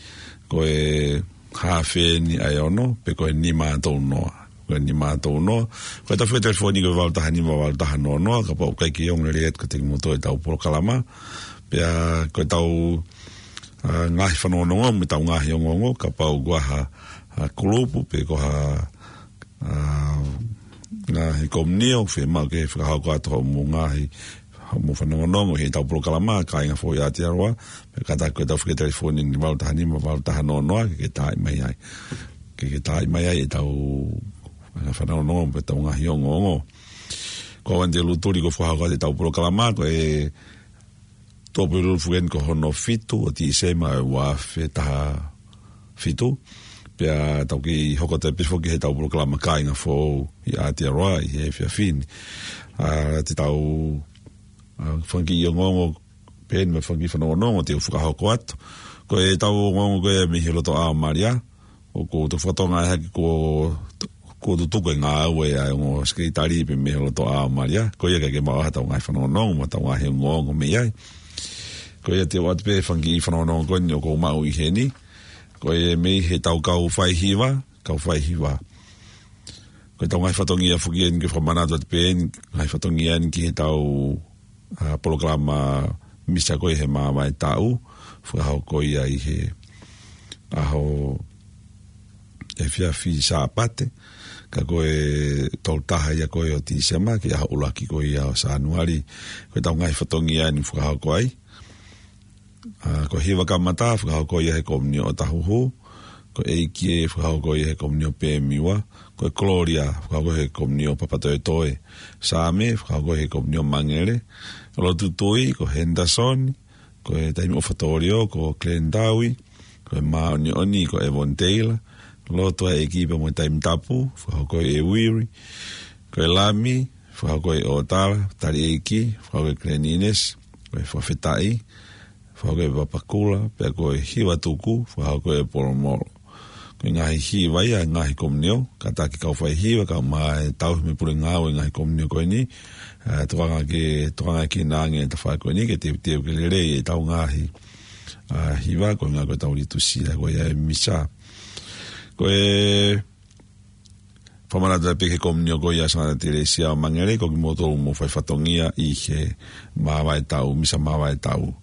ko e haafe eni ʻa e ono, pe ko e nima tolu noa. Ko e nima tolu noa. Ko ʻetau fika telefoni ko e valu taha nima valu taha noa noa, kapau ʻoku ʻikai ke ongo lelei atu kiate kimoutolu ʻetau polokalama. Pea ko ʻetau, ʻa, ngaahi fanongonongo, mo ʻetau ngaahi ongoongo, kapau ko ha, ha kulupu, pe ko ha ʻa, ngaahi komiunitī ʻoku fiemaʻu ke fakahoko atu hoʻomou ngaahi, hoʻomou fanongonongo ʻi heʻetau polokalama, kāinga foʻou ʻi Aotearoa, pea kātaki ko ʻetau fika telefoni eni valu taha nima valu taha noa noa, ke ke taaʻi mai ai. Ke ke taaʻi mai ai ʻetau, ʻa, fanongonongo, pe ʻetau ngaahi ongoongo. Ko au Anite Lutuli kuo fakahoko atu ʻetau polokalama, ko e Pōpulu foki eni ko hono fitu ʻo Tīsema ʻo e ua afe taha fitu. Pea tau kei hoko atu pē foki he ʻetau polokalama Kāinga Foʻou ʻi Aotearoa ʻi he efiafi ni. ʻA, te tau, ʻa, fanga kiʻi ongoongo pē eni mo e fanga kiʻi fanongonongo te u fakahoko atu. Ko ʻetau ongoongo ko ē mei he lotoʻā ʻo Malia, ʻoku tau fakatonga ʻe hake ko, ko e tutuku e ngāue ʻa e ongo sekelitali pē mei he lotoʻā ʻo Malia. Ko ia ka ke maʻu ha ʻetau ngaahi fanongonongo mo ʻetau ngaahi ongoongo mei ai. Ko ia te u ʻoatu pē fanga kiʻi fanongonongo ko eni ʻoku ou maʻu ʻi heni. Ko e mei he ʻetau kau faihiva, kau faihiva. Ko ʻetau ngaahi fatongia foki eni ke fakamanatu atu pē eni, ngaahi fatongia eni ki he ʻetau, ʻa, polokalama misa ko ē he māvae taʻu, fakahoko ia ʻi he ʻaho efiafi Sāpate, ka ko e tolu taha ia ko ē ʻo Tīsema, ki he ʻaho ʻuluaki ko ia ʻo Sānuali, ko ʻetau ngaahi fatongia eni fakahoko ai. ʻA, ko e hiva kamata, fakahoko ia he Komunio ʻo Tahuhu, ko e ʻEiki ē, fakahoko ia he Komunio Pemiwa, ko e Kololia, fakahoko he Komunio Papatoetoe, Saame, fakahoko he Komunio Mangele, Lotu Tui, ko Henderson, ko e Taimi ʻOfa Tōlio, ko Glenn Taui, ko e Māʻoniʻoni, ko Evon Taylor, Lotu ʻa e ʻEiki pea mo e Taimi Tapu, fakahoko ʻe Uiri, ko e Lami, fakahoko ʻe ʻOtala, Tali ʻEiki, fakahoko ʻe Glenn Innes, ko e Fakafetaʻi, fakahoko ʻe Papakula, pea ko e Hiva Tuku, fakahoko ʻe Polomolo. Ko e ngaahi hiva ia, ngaahi komunio, kātaki kau faihiva, kae ʻumaʻā e tauhi mo e pule ngāue ngaahi komunio ko eni, ʻa, tokanga ke, tokanga ke nānge e tafaʻaki ko eni, ke teuteu ke lelei ʻetau ngaahi, ʻa, hiva, ko e ngaahi ko ʻetau litusia, ko ia e misa. Ko e fakamanatu pē ki he komunio ko ia ʻa Santa Teresia ʻo Mangele, ko kimoutolu mou fai fatongia ʻi he māvae taʻu, misa māvae taʻu.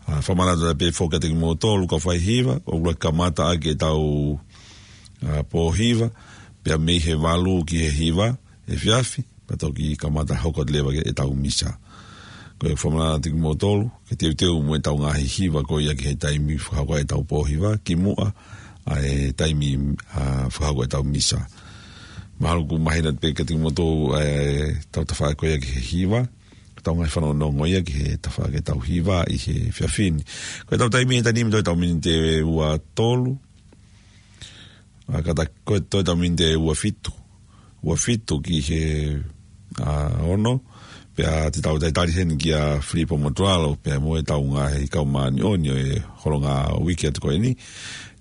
ʻA, fakamanatu pē foki kiate kimoutolu kau faihiva, ʻoku ʻuluaki kamata ʻaki ʻetau, ʻa, pō hiva, pea mei he valu ki he hiva efiafi, pea toki kamata hoko atu leva ki heʻetau misa. Ko e fakamanatu kiate kimoutolu, ke teuteu mo ʻetau ngaahi hiva ko ia ki he taimi fakahoko ʻetau pō hiva, kimuʻa ʻa e taimi, ʻa, fakahoko ʻetau misa. Mahalo ʻoku mahino pē kiate kimoutolu, ʻa, ʻetau tafaʻaki ko ia ki he hiva, ʻetau ngaahi fanongonongo ia ki he tafaʻaki ʻetau hiva ʻi he efiafi ni. Ko ʻetau taimi he taimi ni, toe ʻetau miniti ʻe ua tolu, ʻa, kātaki ko e toe ʻetau miniti ʻe ua fitu. Ua fitu ki he, ʻa, ono. Pea te tau talitali heni kia Filipo Motulalo, pea mo ʻetau ngaahi kau māʻoniʻoni ʻo e holonga uike atu ko eni.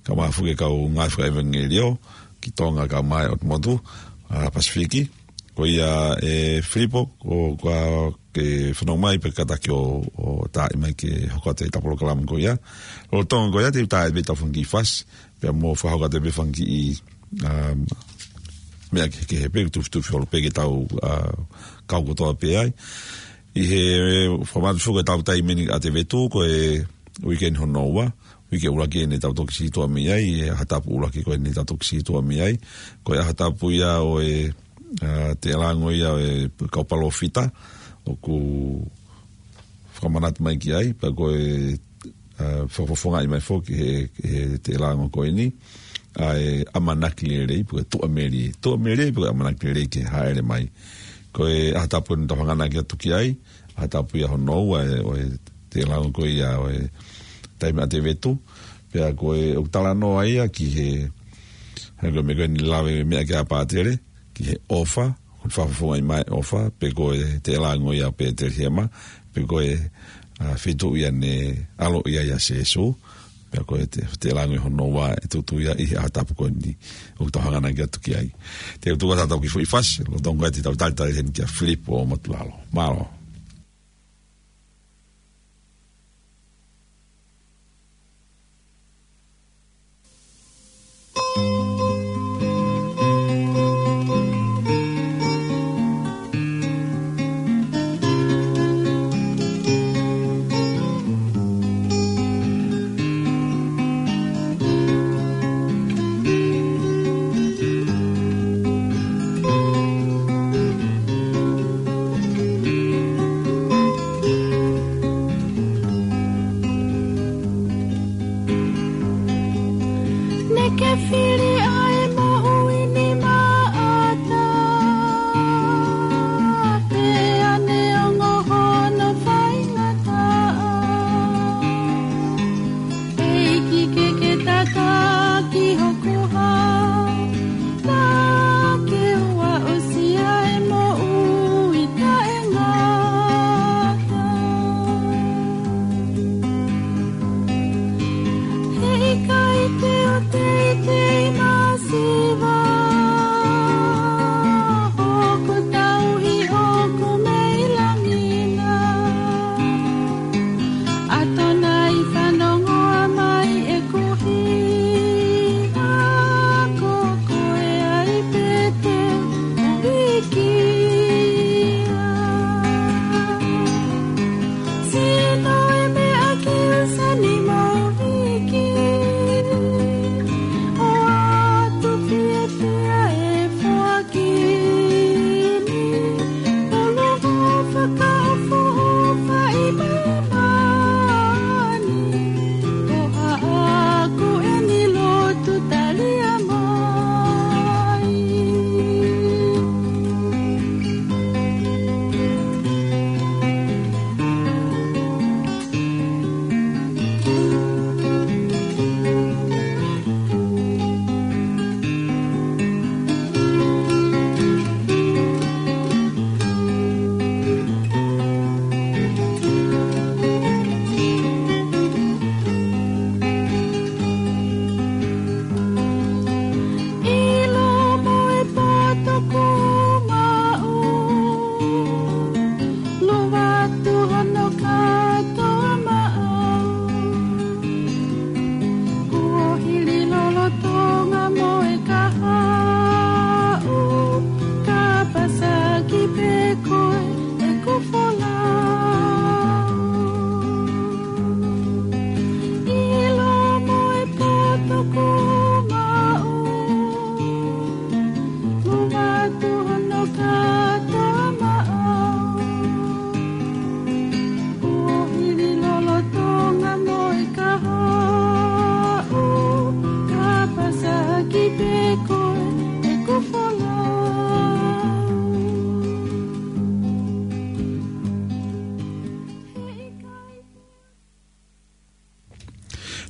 Kae ʻumaʻā foki e kau ngāue fakaʻevangeliō, ki Tonga kae ʻumaʻā ʻOtu Motu, ʻa, Pasifiki. Ko ia ʻe Filipo, ko, ko ke fanongo mai pea kātaki ʻo, ʻo taaʻi mai ke hoko atu ʻetau polokalama ko ia. Lolotonga ko ia te u taaʻi pē ʻetau fanga kiʻi fasi, pea mo fakahoko atu pē fanga kiʻi, um, meʻa kehekehe pē, tufitufi holo pē ke tau, ʻa, kau kotoa pē ai. ʻI he fakamanatu foki ʻetau taimi ʻi ʻAtevetu, ko e uike ni hono ua, uike ʻuluaki eni ʻetau toki sītuʻa mei ai, ʻi he ʻaho tapu ʻuluaki ko eni ʻetau toki sītuʻa mei ai. Ko e ʻaho tapu ia ʻo e, ʻa, teʻelango ia ʻo e kau palōfita, ʻoku fakamanatu mai ki ai, pea ko e, ʻa, fakafofongaʻi mai foki he, he teʻelango ko eni, ʻa e ʻamanaki lelei, pe ko e tuʻamelie. Tuʻamelie, pe ko e ʻamanaki lelei ke hāʻele mai. Ko e ʻaho tapu eni ʻoku tau hanganaki atu ki ai, ʻaho tapu ia hono ua ʻo e, ʻo e teʻelango ko ia ʻo e taimi ʻAtevetu, pea ko e ʻoku talanoa ia ki he, hangē ko e meʻa ko eni lave meʻa ki ai ʻa Pātele, ki he ʻofa, ko e fakafofongaʻi mai ʻofa, pe ko e teʻelango ia ʻo Pētelihema, pe ko e, ʻa, feituʻu ia naʻe ʻaloʻi ai ʻa Sīsū, pea ko e te, teʻelango ia hono ua ʻe tuʻutuʻu ia ʻi he ʻaho tapu ko eni ʻoku tau hanganaki atu ki ai. Te u tuku atu ʻetau kiʻi foʻi fasi, lolotonga ko ia te tau talitali heni kia Filipo Motulalo. Mālō.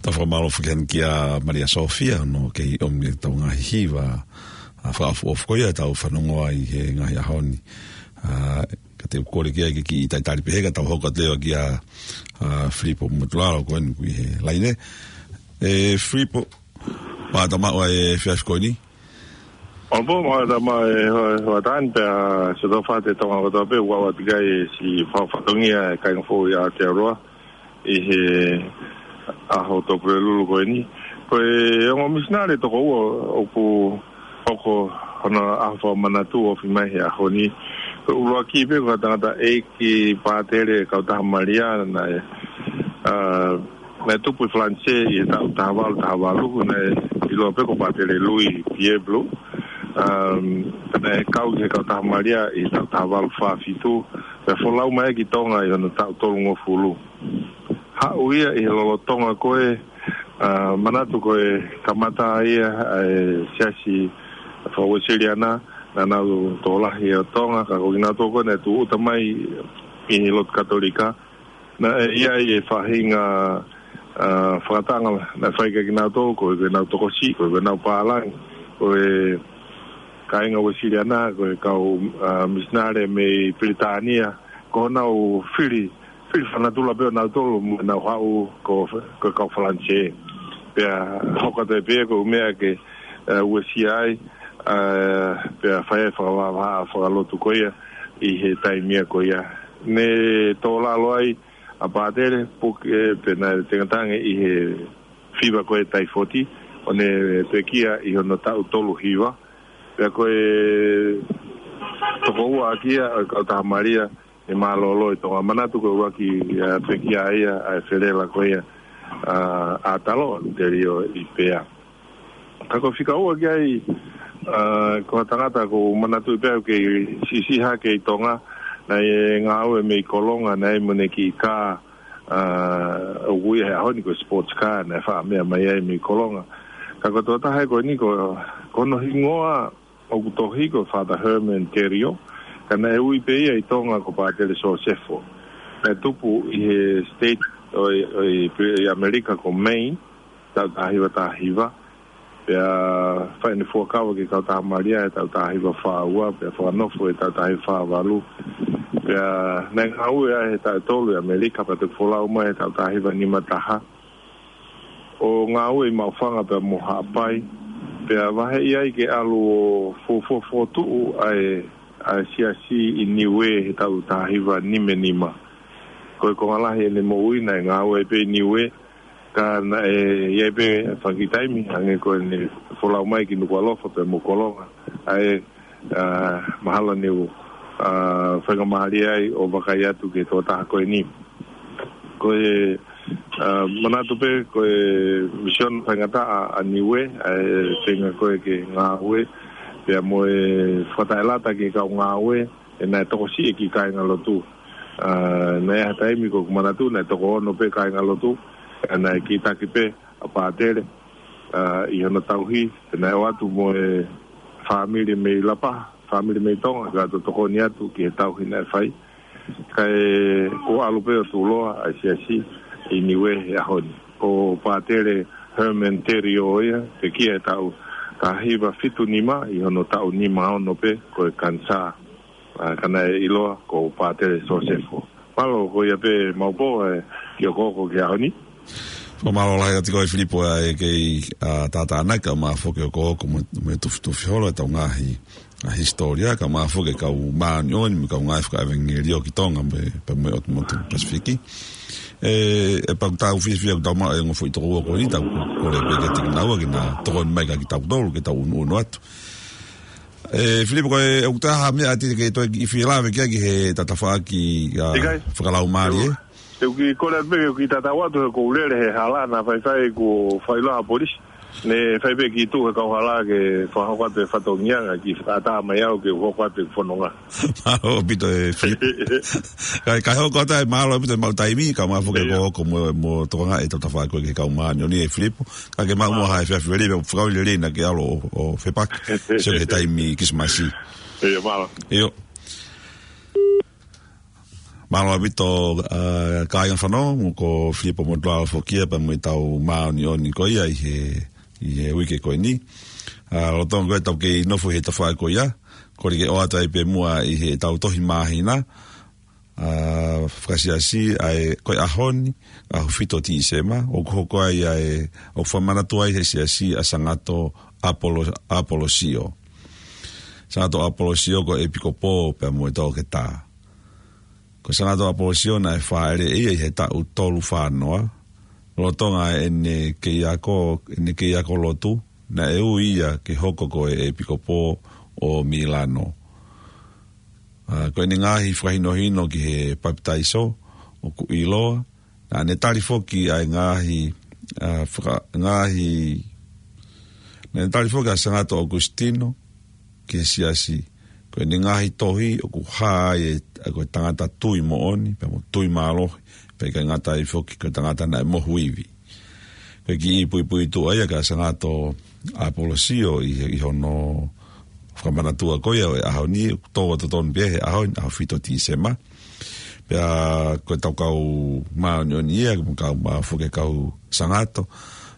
Tau fakamālō foki heni kia Malia Sofia, ʻoku kei ʻomi ʻetau ngaahi hiva, ʻa, fakaʻofoʻofa ko ia ʻetau fanongo ai he ngaahi ʻaho ni. ʻA, ka te u kole ki ai ke kiʻi talitali pē he ka tau hoko atu leva kia, ʻa, Filipo Motulalo ko eni ʻoku ʻi he laine. ʻE, Filipo, pea tau maʻu ʻa e efiafi ko eni. ʻOku mau tama e ho-, hoʻatā ni pea sio tau fate Tonga kotoa pē, ʻoku ʻoatu ki ai e siʻi fakafatongia e kāinga foʻou ʻi Aotearoa ʻi he ʻaho Tuʻapulelulu ko eni. Ko e ongo misinale toko ua ʻoku hoko hono ʻaho fakamanatu ofi mai he ʻaho ni. Ko e ʻuluaki pē ko e tangata ʻeiki pātele Kautaha Malia naʻe, ʻa, naʻe tupu ʻi Falanisē ʻi he taʻu taha valu taha valu, naʻe ʻiloa pē ko Pātele Louis Pierre Blou. Um, naʻe kau ki he Kautaha Malia ʻi he taʻu taha valu fā fitu, pea folau mai ki Tonga ʻi hono taʻu tolungofulu. Haʻu ia ʻi he lolotonga ko ē, ʻa, manatu ko e kamata ia ʻa e siasi faka-Uēsiliana, naʻa nau tokolahi ʻo Tonga, ka ko kinautolu ko ē naʻe tūʻuta mai ʻi he lotu Katolika, naʻe ʻi ai e faʻahinga, ʻa, fakataʻanga naʻe fai kia kinautolu, ko e, ko ʻenau tokosiʻi, ko e, ko ʻenau pālangi, ko e kāinga Uēsiliana, ko e kau, ʻa, misinale mei Pilitānia, ko honau fili, fili fanatula pē ʻo nautolu, mo ʻenau haʻu ko, ko e kau Falanisē. Pea hoko atu ai pē ko e meʻa ke, ʻa, uesia ai, ʻa, pea fai ai fakavahavahaʻa fakalotu ko ia ʻi he taimi ia ko ia. Ne tō lalo ai ʻa Pātele, puke, ʻe, pea naʻe tengatange ʻi he fiva ko e taifoti, ʻo ne pekia ʻi hono taʻu tolu hiva. Pea ko e toko ua ʻaki ia ʻo e Kautaha Malia ʻe mālōlō ʻi Tonga. Manatu ko e ʻuluaki, ʻa, pekia ia ʻa e felela ko ia, ʻa, ʻa Talo, Telio ʻi Pea. Ka ko e fika ua ki ai, ʻa, ko e tangata ʻoku ou manatuʻi pē au kei siʻisiʻi hake ʻi Tonga, naʻe ngāue mei Kolonga, naʻe mo ʻene kiʻi kā, ʻa, ʻoku ui he ʻaho ni ko e sports car, naʻe faʻa meʻa mai ai mei Kolonga. Ka ko e tokotaha ko eni ko, ko hono hingoa ʻoku tohi ko Father Herman Telio, ka naʻe ui pē ia ʻi Tonga ko Pātele Sosefo. Naʻe tupu ʻi he state ʻo, ʻo, ʻi ʻAmelika ko Maine, taʻu taha hiva taha hiva. Pea fai ʻene fuakava ki he Kautaha Malia he taʻu taha hiva fā ua, pea fakanofo he taʻu taha hiva fā valu. Pea naʻe ngāue ai he taʻu ʻe tolu ʻi ʻAmelika, pea toki folau mai he taʻu taha hiva nima taha. ʻO ngāue ʻi Maʻufanga pea mo Haʻapai. Pea vaheʻi ai ke ʻalu ʻo fuofua fokotuʻu ʻa e, ʻa e siasi ʻi Niuē he taʻu taha hiva nima nima. Ko e konga lahi ʻene moʻui naʻe ngāue pē ʻi Niuē, ka naʻe ʻi ai pē fanga kiʻi taimi, hangē ko ʻene folau mai ki Nukuʻalofa pea mo Kolonga. ʻA e, ʻa, mahalo ne u, ʻa, faingamālie ai ʻo vakai atu ki he tokotaha ko eni. Ko e, ʻa, manatu pē, ko e misiona faingataʻa ʻa Niuē, ʻa e feinga ko ē ke ngāue, pea mo e fakataʻelata ki he kau ngāue, ʻe naʻe tokosiʻi e kiʻi kāingalotu. ʻA, naʻe ʻi ai ha taimi ʻoku ou manatu, naʻe toko ono pē kāingalotu, ʻa, naʻe kītaki pē ʻa Pātele, ʻa, ʻi hono tauhi, pea naʻe ō atu mo e fāmili mei Lapaha, fāmili mei Tonga, kae tokoni atu ki he tauhi naʻe fai. Kae kuo ʻalu pē ʻo tuʻuloa ʻa e siasi ʻi Niuē he ʻaho ni. Ko Pātele Herman Telio ia, pekia he taʻu taha hiva fitu nima ʻi hono taʻu nima ono pē, ko e kanisā. ʻA, ka naʻe ʻiloa ko Pātele Sosefo. Mālō, ko ia pē maʻu pē, ʻe, kiʻi hokohoko ki he ʻaho ni. Fakamālō lahi atu kiate koe Filipo ʻa e kei, ʻa, tātānaki kae ʻumaʻā foki hoʻo hokohoko mo, mo e tufitufi holo ʻetau ngaahi, ʻa, hisitōlia, kae ʻumaʻā foki e kau māʻoniʻoni mo e kau ngāue fakaʻevangeliō ki Tonga mo e, pea mo e ʻotu motu Pasifiki. ʻE, ʻe pau ke tau fiefia ʻoku tau maʻu e ongo foʻi toko ua ko eni, tau kole pē kiate kinaua ke na tokoni mai kiate kitautolu, ke tau ʻunuʻunu atu. ʻE, Filipo, ko e, ʻoku ʻi ai ha meʻa te ke toe kiʻi fie lave ki ai ki he tafaʻaki, ʻa, ʻIkai. Fakalaumālie, ʻio. ʻE? Te u kiʻi kole atu pē ke u kiʻi tatau atu he ʻoku ou lele he hala naʻa faifai kuo fai ʻa e polisi. Ne fai pē kiʻi tuʻu he kauhala ke fakahoko atu e fatongia, kae kiʻi fakaʻatā mai au ke u hoko atu e fononga. Mālō ʻaupito ʻe Filipo. Kae, kae hoko atu ai, mālō ʻaupito e maʻu taimi, kae ʻumaʻā foki ʻIo. Ko, ko mo, mo tokangaʻi ʻetau tafaʻaki ko ē ki he kau māʻoniʻoni ʻe Filipo. Ka ke maʻu muʻa ha efiafi lelei, pea fakaoli lelei naʻa ke ʻalu ʻo, ʻo fepaki. Sio ki he taimi Kilisimasi. ʻIo, mālō. ʻIo. Mālō ʻaupito, ʻa, kāinga fanongo, ko Filipo Motuala foki ia pea mo ʻetau māʻoniʻoni ko ia ʻi he, ʻi he uike ko eni. ʻA, lolotonga ko ē ʻetau kei nofo ʻi he tafaʻaki ko ia, kole ke ʻoatu ai pē muʻa ʻi heʻetau tohi māhina, ʻa, fakasiasi ʻa e ko e ʻaho ni, ʻaho fitu ʻo Tīsema, ʻoku hoko ai ʻa e, ʻoku fakamanatua ai he siasi ʻa Sangato ʻApolo-, ʻApolosio. Sangato ʻApolosio ko e ʻepikopō pea mo e toketā. Ko Sangato ʻApolosio naʻe fāʻeleʻi ia ʻi he taʻu tolu fā noa, lolotonga ʻene kei ako, ʻene kei ako lotu, naʻe ui ia ke hoko ko e ʻepikopō ʻo Milano. ʻA, ko ʻene ngaahi fakahinohino ki he papitaiso ʻoku ʻiloa, naʻa ne tali foki ʻa e ngaahi, ʻa, faka-, ngaahi, naʻa ne tali foki ʻa Sangato ʻAukusitino ki he siasi. Ko ʻene ngaahi tohi ʻoku hā ai ʻa e, ʻa e ko e tangata tui moʻoni, pea mo tui mālohi, pea ʻikai ngata ai foki ko e tangata naʻe mohu ivi. Ko e kiʻi puipuituʻa ia kia Sangato ʻApolosio ʻi he, ʻi hono fakamanatua ko ia ʻo e ʻaho ni, ʻoku tō atu tonu pē he ʻaho ni, ʻaho fitu ʻo Tīsema. Pea ko ʻetau kau māʻoniʻoni ia, mo e kau mā foki kau Sangato,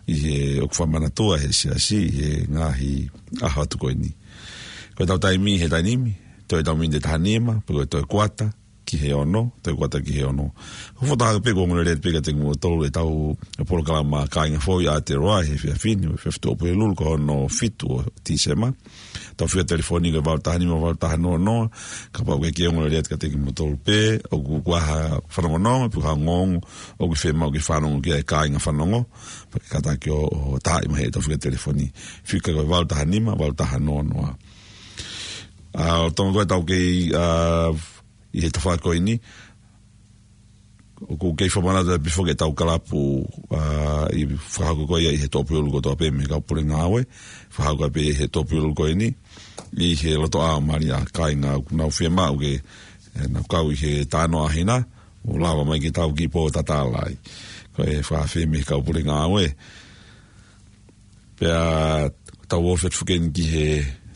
ʻi he ʻoku fakamanatua he siasi, ʻi he ngaahi ʻaho atu ko eni. Ko ʻetau taimi he taimi ni, toe ʻetau miniti ʻe taha nima, pe ko e toe kuata, ki he ono, toe kuata ki he ono. Ko e fakataha pē kuo ongo lelei pē kiate kimoutolu ʻetau polokalama Kāinga Fou ʻi Aotearoa he efiafi ni, efiafi Tuʻapulelulu ko hono fitu ʻo Tīsema. ʻEtau fika telefoni ko e valu taha nima valu taha noa noa, kapau ʻoku ke ongo lelei kiate kimoutolu pē, ʻoku ʻi ai ha fanongonongo, pe ko ha ongoongo ʻoku fiemaʻu ke fanongo ki ai kāinga fanongo, pea ke kātaki ʻo, ʻo taaʻi mai heʻetau fika telefoni. Fika ko e valu taha nima valu taha noa noa. ʻA, lolotonga ko ē ʻetau kei, ʻa, ʻi he tafaʻaki ko eni, ʻoku kei fakamanatu pē foki ʻetau kalapu, ʻa, ʻi he fakahoko ko ia ʻi he Tuʻapulelulu kotoa pē mei he kau pule ngāue, fakahoko pē ʻi he Tuʻapulelulu ko eni, ʻi he lotoʻā ʻo Malia, kāinga ʻoku nau fiemaʻu ke, ʻe, nau kau ʻi he talanoa ʻa hina, ʻo lava mai ke tau kiʻi pō tatala ai. Ko e fakaafe mei he kau pule ngāue. Pea tau ofi atu foki eni ki he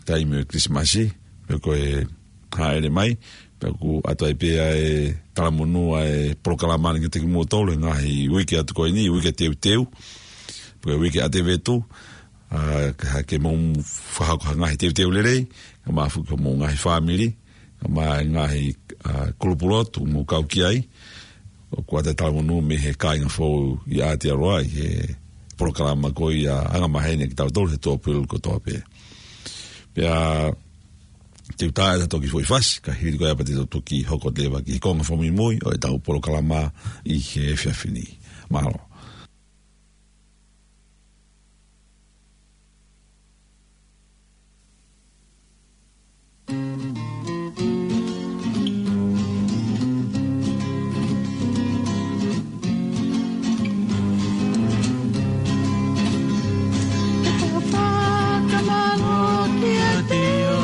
taimi ʻo e Kilisimasi, pea ko e hāʻele mai, pea ʻoku ʻoatu ai pē ʻa e talamonū ʻa e polokalama ni kiate kimoutolu he ngaahi uike atu ko eni, uike teuteu, pe ko e uike ʻa Tēvita, ʻa, ka ke mou fakahoko ha ngaahi teuteu lelei, kae ʻumaʻā foki homou ngaahi fāmili, kae ʻumaʻā e ngaahi, ʻa, kulupu lotu ʻoku mou kau ki ai, ʻoku ʻoatu e talamonū mei he Kāinga Fou ʻi Aotearoa ʻi he polokalama ko ia anga maheni kitautolu he Tuʻapulelulu kotoa pē. Pea te u tā ʻetau toki foʻi fasi, ka hili ko ia pea te tau toki hoko atu leva ki he konga fakamuimui ʻo ʻetau polokalama ʻi he efiafi ni. Mālō. Ke tau fakamālō kiate ia,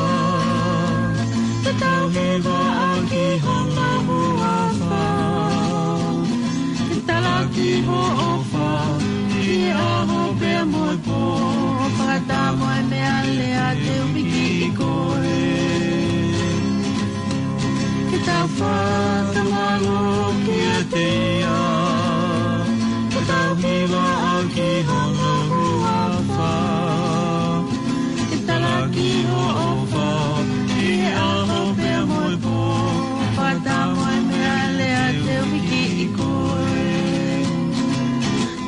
ke tau hivaʻaki hono huafa, ke talaki hoʻo ʻofa ʻi he ʻaho pea mo e pō, fakataha mo e meʻalea te u pikiʻi koe. Ke tau fakamālō kiate ia, ke tau hivaʻaki hono huafa, ke talaki hoʻo ʻofa ʻi he ʻaho pea mo e pō, fakataha mo e meʻalea te u pikiʻi koe.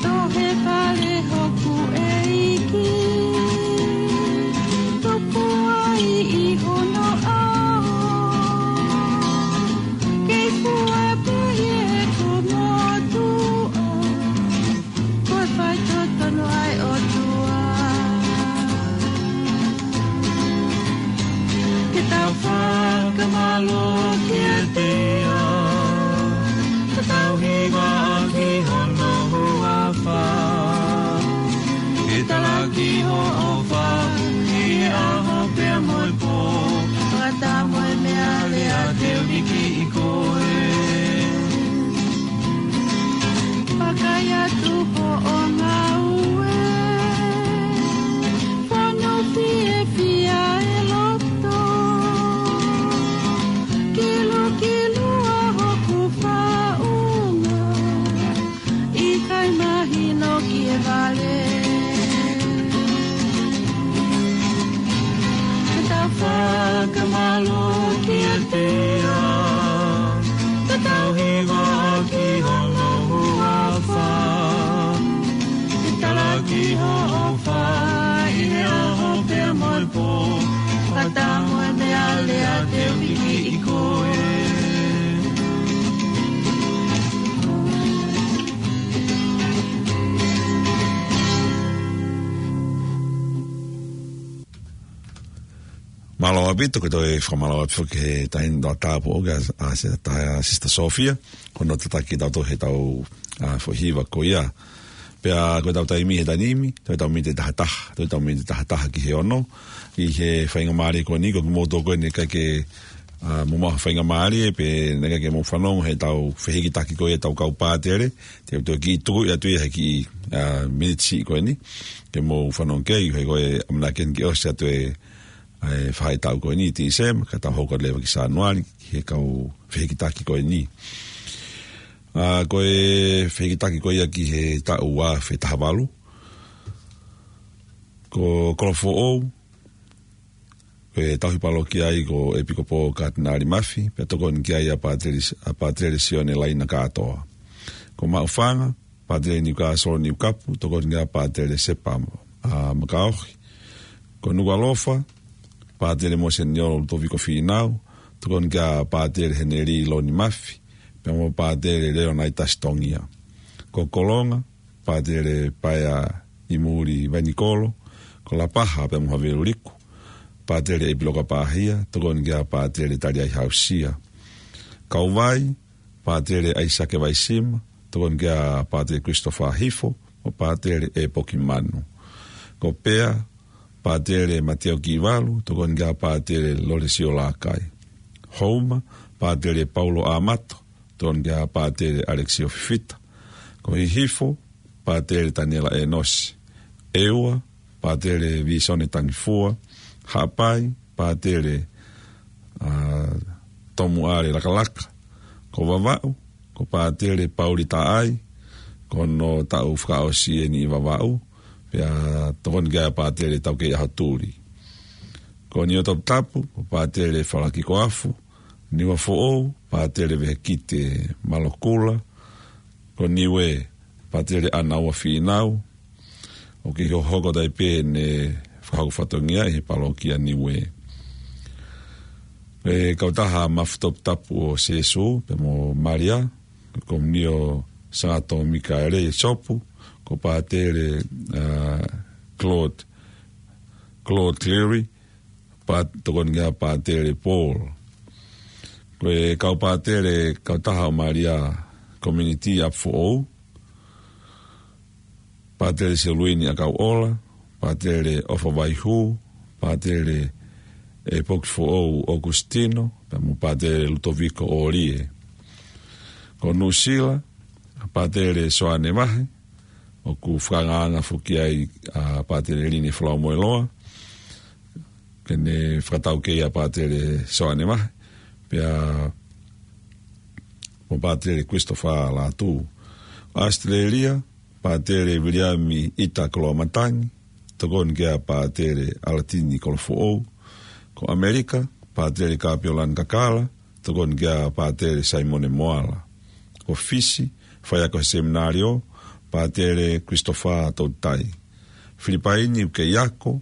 Tohi fale hoku ʻEiki, tupu ai ʻi hono ʻao. Kei fua pē ʻi heʻeku motuʻa, ko e faitotonu ʻa e ʻOtua. Ke tau fakamālō kiate ia, ke tau hivaʻaki hono huafa, ke talaki hoʻo ʻofa ʻi he ʻaho pea mo e pō, fakataha mo e meʻalea te u pikiʻi koe. Vakai atu hoʻo ngāue, fonu fiefia e loto, kilukilu ʻa hoku Mālō ʻaupito, ko e toe fakamālō atu foki ki he taʻahine tokotaha ʻoku ʻi ai, ʻa, Sisitā, Sisitā Sofia, ko hono tataki kitautolu he ʻetau, ʻa, foʻi hiva ko ia. Pea ko ʻetau taimi he taimi ni, toe ʻetau miniti ʻe taha taha, toe ʻetau miniti ʻe taha taha ki he ono, ʻi he faingamālie ko eni, ko kimoutolu ko eni ʻikai ke, ʻa, mou maʻu ha faingamālie, pe naʻe ʻikai ke mou fanongo he ʻetau fehikitaki ko ia ʻetau kau pātele, te u toe kiʻi tuku atu ia he kiʻi, ʻa, miniti siʻi ko eni, ke mou fanongo ki ai, he ko e ʻamanaki eni ke ʻosi atu e, ʻa e faʻahitaʻu ko eni, Tīsema, ka tau hoko leva ki Sānuali, ki he kau fehikitaki ko eni. ʻA, ko e fehikitaki ko ia ki he taʻu ua afe taha valu. Ko Kolofoʻou, ko e tauhi palokia ai ko ʻEpikopō Katinali Mafi, pea tokoni ki ai ʻa Pātele, ʻa Pātele Sione Laina Kātoa. Ko Maʻufanga, Pātele Niukasolo Niukapu, tokoni ki ai ʻa Pātele Sepa, ʻa, Makaohi. Ko Nukuʻalofa, Pātele Moseniolo Lutoviko Fīnau, tokoni ki ai ʻa Pātele Heneli Loni Mafi, pea mo Pātele Leonaitasi Tongia. Ko Kolonga, Pātele Paea ʻImuli Vainikolo. Ko Lapaha pea mo Havelu Liku, Pātele ʻEpiloka Pāhia, tokoni ki ai ʻa Pātele Taliai Hausia. Kauvai, Pātele ʻAisake Vaisima, tokoni ki ai ʻa Pātele Christopher Hifo, mo Pātele ʻEpoki Manu. Ko Pea, Pātele Matiau Kivalu, tokoni ki ai ʻa Pātele Lolesio Lakai. Houma, Pātele Paulo Amato, tokoni ki ai ʻa Pātele Alexio Fifita. Ko Hihifo, Pātele Taniela Enosi. ʻEua, Pātele Visone Tangifua. Haʻapai, Pātele, ʻa, Tomuʻale Lakalaka. Ko Vavaʻu, ko Pātele Pauli Taʻai, ko hono taʻu fakaʻosi eni ʻi Vavaʻu, pea tokoni ki ai ʻa Pātele Taukei ʻAhotuli. Ko Niuatoputapu, ko Pātele Falaki Koafu. Niuafoʻou, Pātele Vehekite Malokula. Ko Niue, Pātele ʻAnaua Fīnau. ʻOku ʻi hohoko tai pē ʻene fakahoko fatongia ʻi he palokia Niue. Ko e kautaha Mafu Toputapu ʻo Sēsū, pea mo Malia, ko Komunio Sangato Mikaele ʻi Sopu, ko Pātele, ʻa, Claude, Claude Cleary, Pā-, tokoni ki ai ʻa Pātele Paul. Ko e kau pātele kautaha ʻo Malia Community ʻApifoʻou, Pātele Seluini ʻAkauʻola, Pātele ʻOfa Vaihū, Pātele ʻEpoki Foʻou ʻOkusitino, pea mo Pātele Lutoviko ʻOlie. Ko Nuʻusila, Pātele Soane Vahe, ʻoku fakaangaanga foki ai ʻa Pātele Line Folaumoeloa, ke ne fakataukei ʻa Pātele Soane Vahe, pea mo Pātele Christopher Lātū. ʻAositelēlia, Pātele Viliami ʻIta Koloamatangi, tokoni ki ai ʻa Pātele ʻAlatini Kolofoʻou. Ko ʻAmelika, Pātele Kapiolani Kakala, tokoni ki ai ʻa Pātele Saimone Moala. Ko Fisi, faiako he seminalio, Pātele Christopher Toutai. Filipaini, ʻoku kei ako,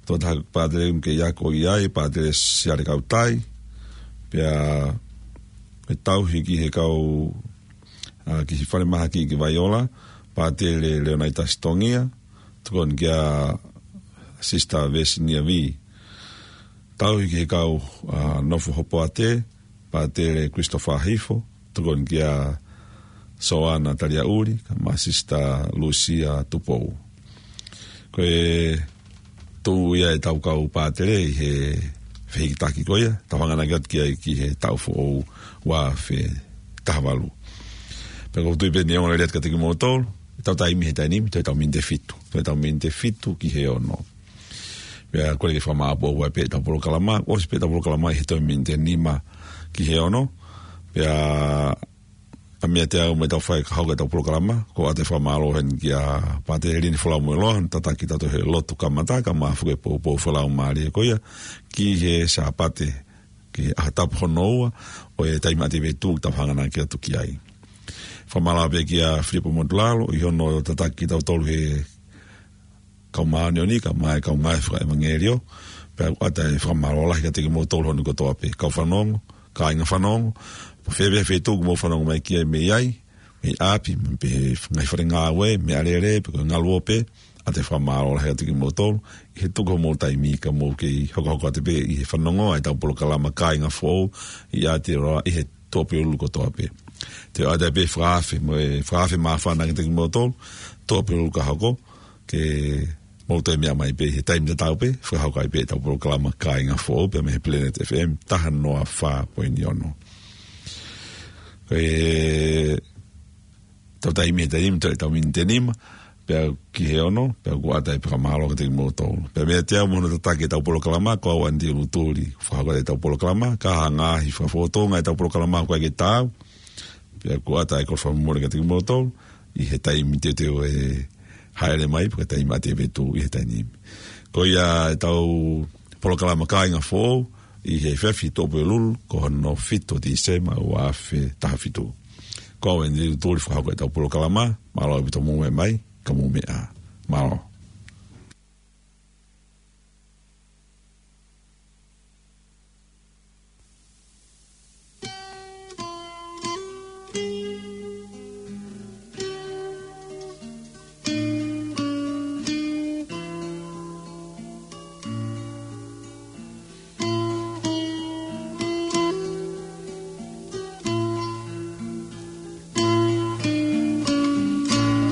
tokotaha pātele ʻoku kei ako ʻi ai, Pātele Siale Kautai, pea ʻe tauhi ki he kau, ʻa, ki he falemahaki ki Vaiola, Pātele Leonaitasi Tongia, tokoni ki ai ʻa Sister Vesinia Vī. Tauhi ki he kau, ʻa, nofo Hopoate, Pātele Christopher Hifo, tokoni ki ai ʻa Soana Taliaʻuli, kae ʻumaʻā Sister Lusia Tupou. Ko e tuʻu ia ʻetau kau pātele ʻi he fehikitaki ko ia, tau hanganaki atu ki ai ki he taʻu foʻou ua afe taha valu. Pea ʻoku ou tui pē ʻe ongo lelei atu kiate kimoutolu, ʻetau taimi he taimi ni, toe ʻetau miniti ʻe fitu, toe ʻetau miniti ʻe fitu ki he ono. Pea kole ke fakamāʻopoʻopo ai pē ʻetau polokalama, ʻosi pē ʻetau polokalama ʻi he toe miniti ʻe nima ki he ono. Pea ʻa e meʻa te u ʻai mai ʻetau fai ka hoko ʻetau polokalama, ko ʻete fakamālō heni kia Pātele Line Folaumoeloa, tataki tautolu he lotu kamata, kae ʻumaʻā foki e poupou fakalaumālie ko ia, ki he Sāpate, ki he ʻaho tapu hono ua ʻo e taimi ʻa e ʻAtivita ʻoku tau hanganaki atu ki ai. Fakamālō pē kia Filipo Motulalo, ʻi hono tataki tautolu he kau māʻoniʻoni, kae ʻumaʻā e kau ngāue fakaʻevangeliō, pea ʻoku ʻoatu e fakamālō lahi kiate kimoutolu hono kotoa pē, kau fanongo, kāinga fanongo, pe ko fē pē feituʻu ʻoku mou fanongo mai ki ai mei ai, mei ʻapi, mei he ngaahi fale ngāue, mei ʻAlele, pe ko e ngaluope, ʻoatu e fakamālō lahi kiate kimoutolu ʻi he tuku homou taimi ka mou kei hokohoko atu pē ʻi he fanongo ʻa ʻetau polokalama Kāinga Foʻou ʻi Aotearoa ʻi he Tuʻapulelulu kotoa pē. Te u ʻoatu pē e fakaafe, mo e fakaafe māfana kiate kimoutolu, Tuʻapulelulu ka hoko, ke mou toe meʻa mai pē he taimi tatau pē, fakahoko ai pē ʻetau polokalama Kāinga Foʻou, pea mei he Planet F M, taha noa fā poini ono. Ko ʻetau taimi he taimi, toe ʻetau miniti ʻe nima, pea ki he ono, pea ʻoku ʻoatu e fakamālō kiate kimoutolu. Pea meiate au mo hono tataki ʻetau polokalama, ko au Andy Lutuli, fakahoko ʻetau polokalama, ka ʻi ai ha ngaahi fakafofonga ʻetau polokalama ʻoku ʻikai ke taau, pea ʻoku ʻoatu e kole fakamolemole kiate kimoutolu, ʻi he taimi teuteu ʻe hāʻele mai, pe ko e taimi ʻa e vetu ʻi he taimi ni. Ko ia ʻetau polokalama Kāinga Foʻou, ʻi he efiafi Tuʻapulelulu, ko hono fitu Tīsema ua afe taha fitu. Ko au Andy Lutuli fakahoko ʻetau polokalama, mālō ʻaupito hoʻomou meʻa mai, ka mou meʻa ā. Mālō.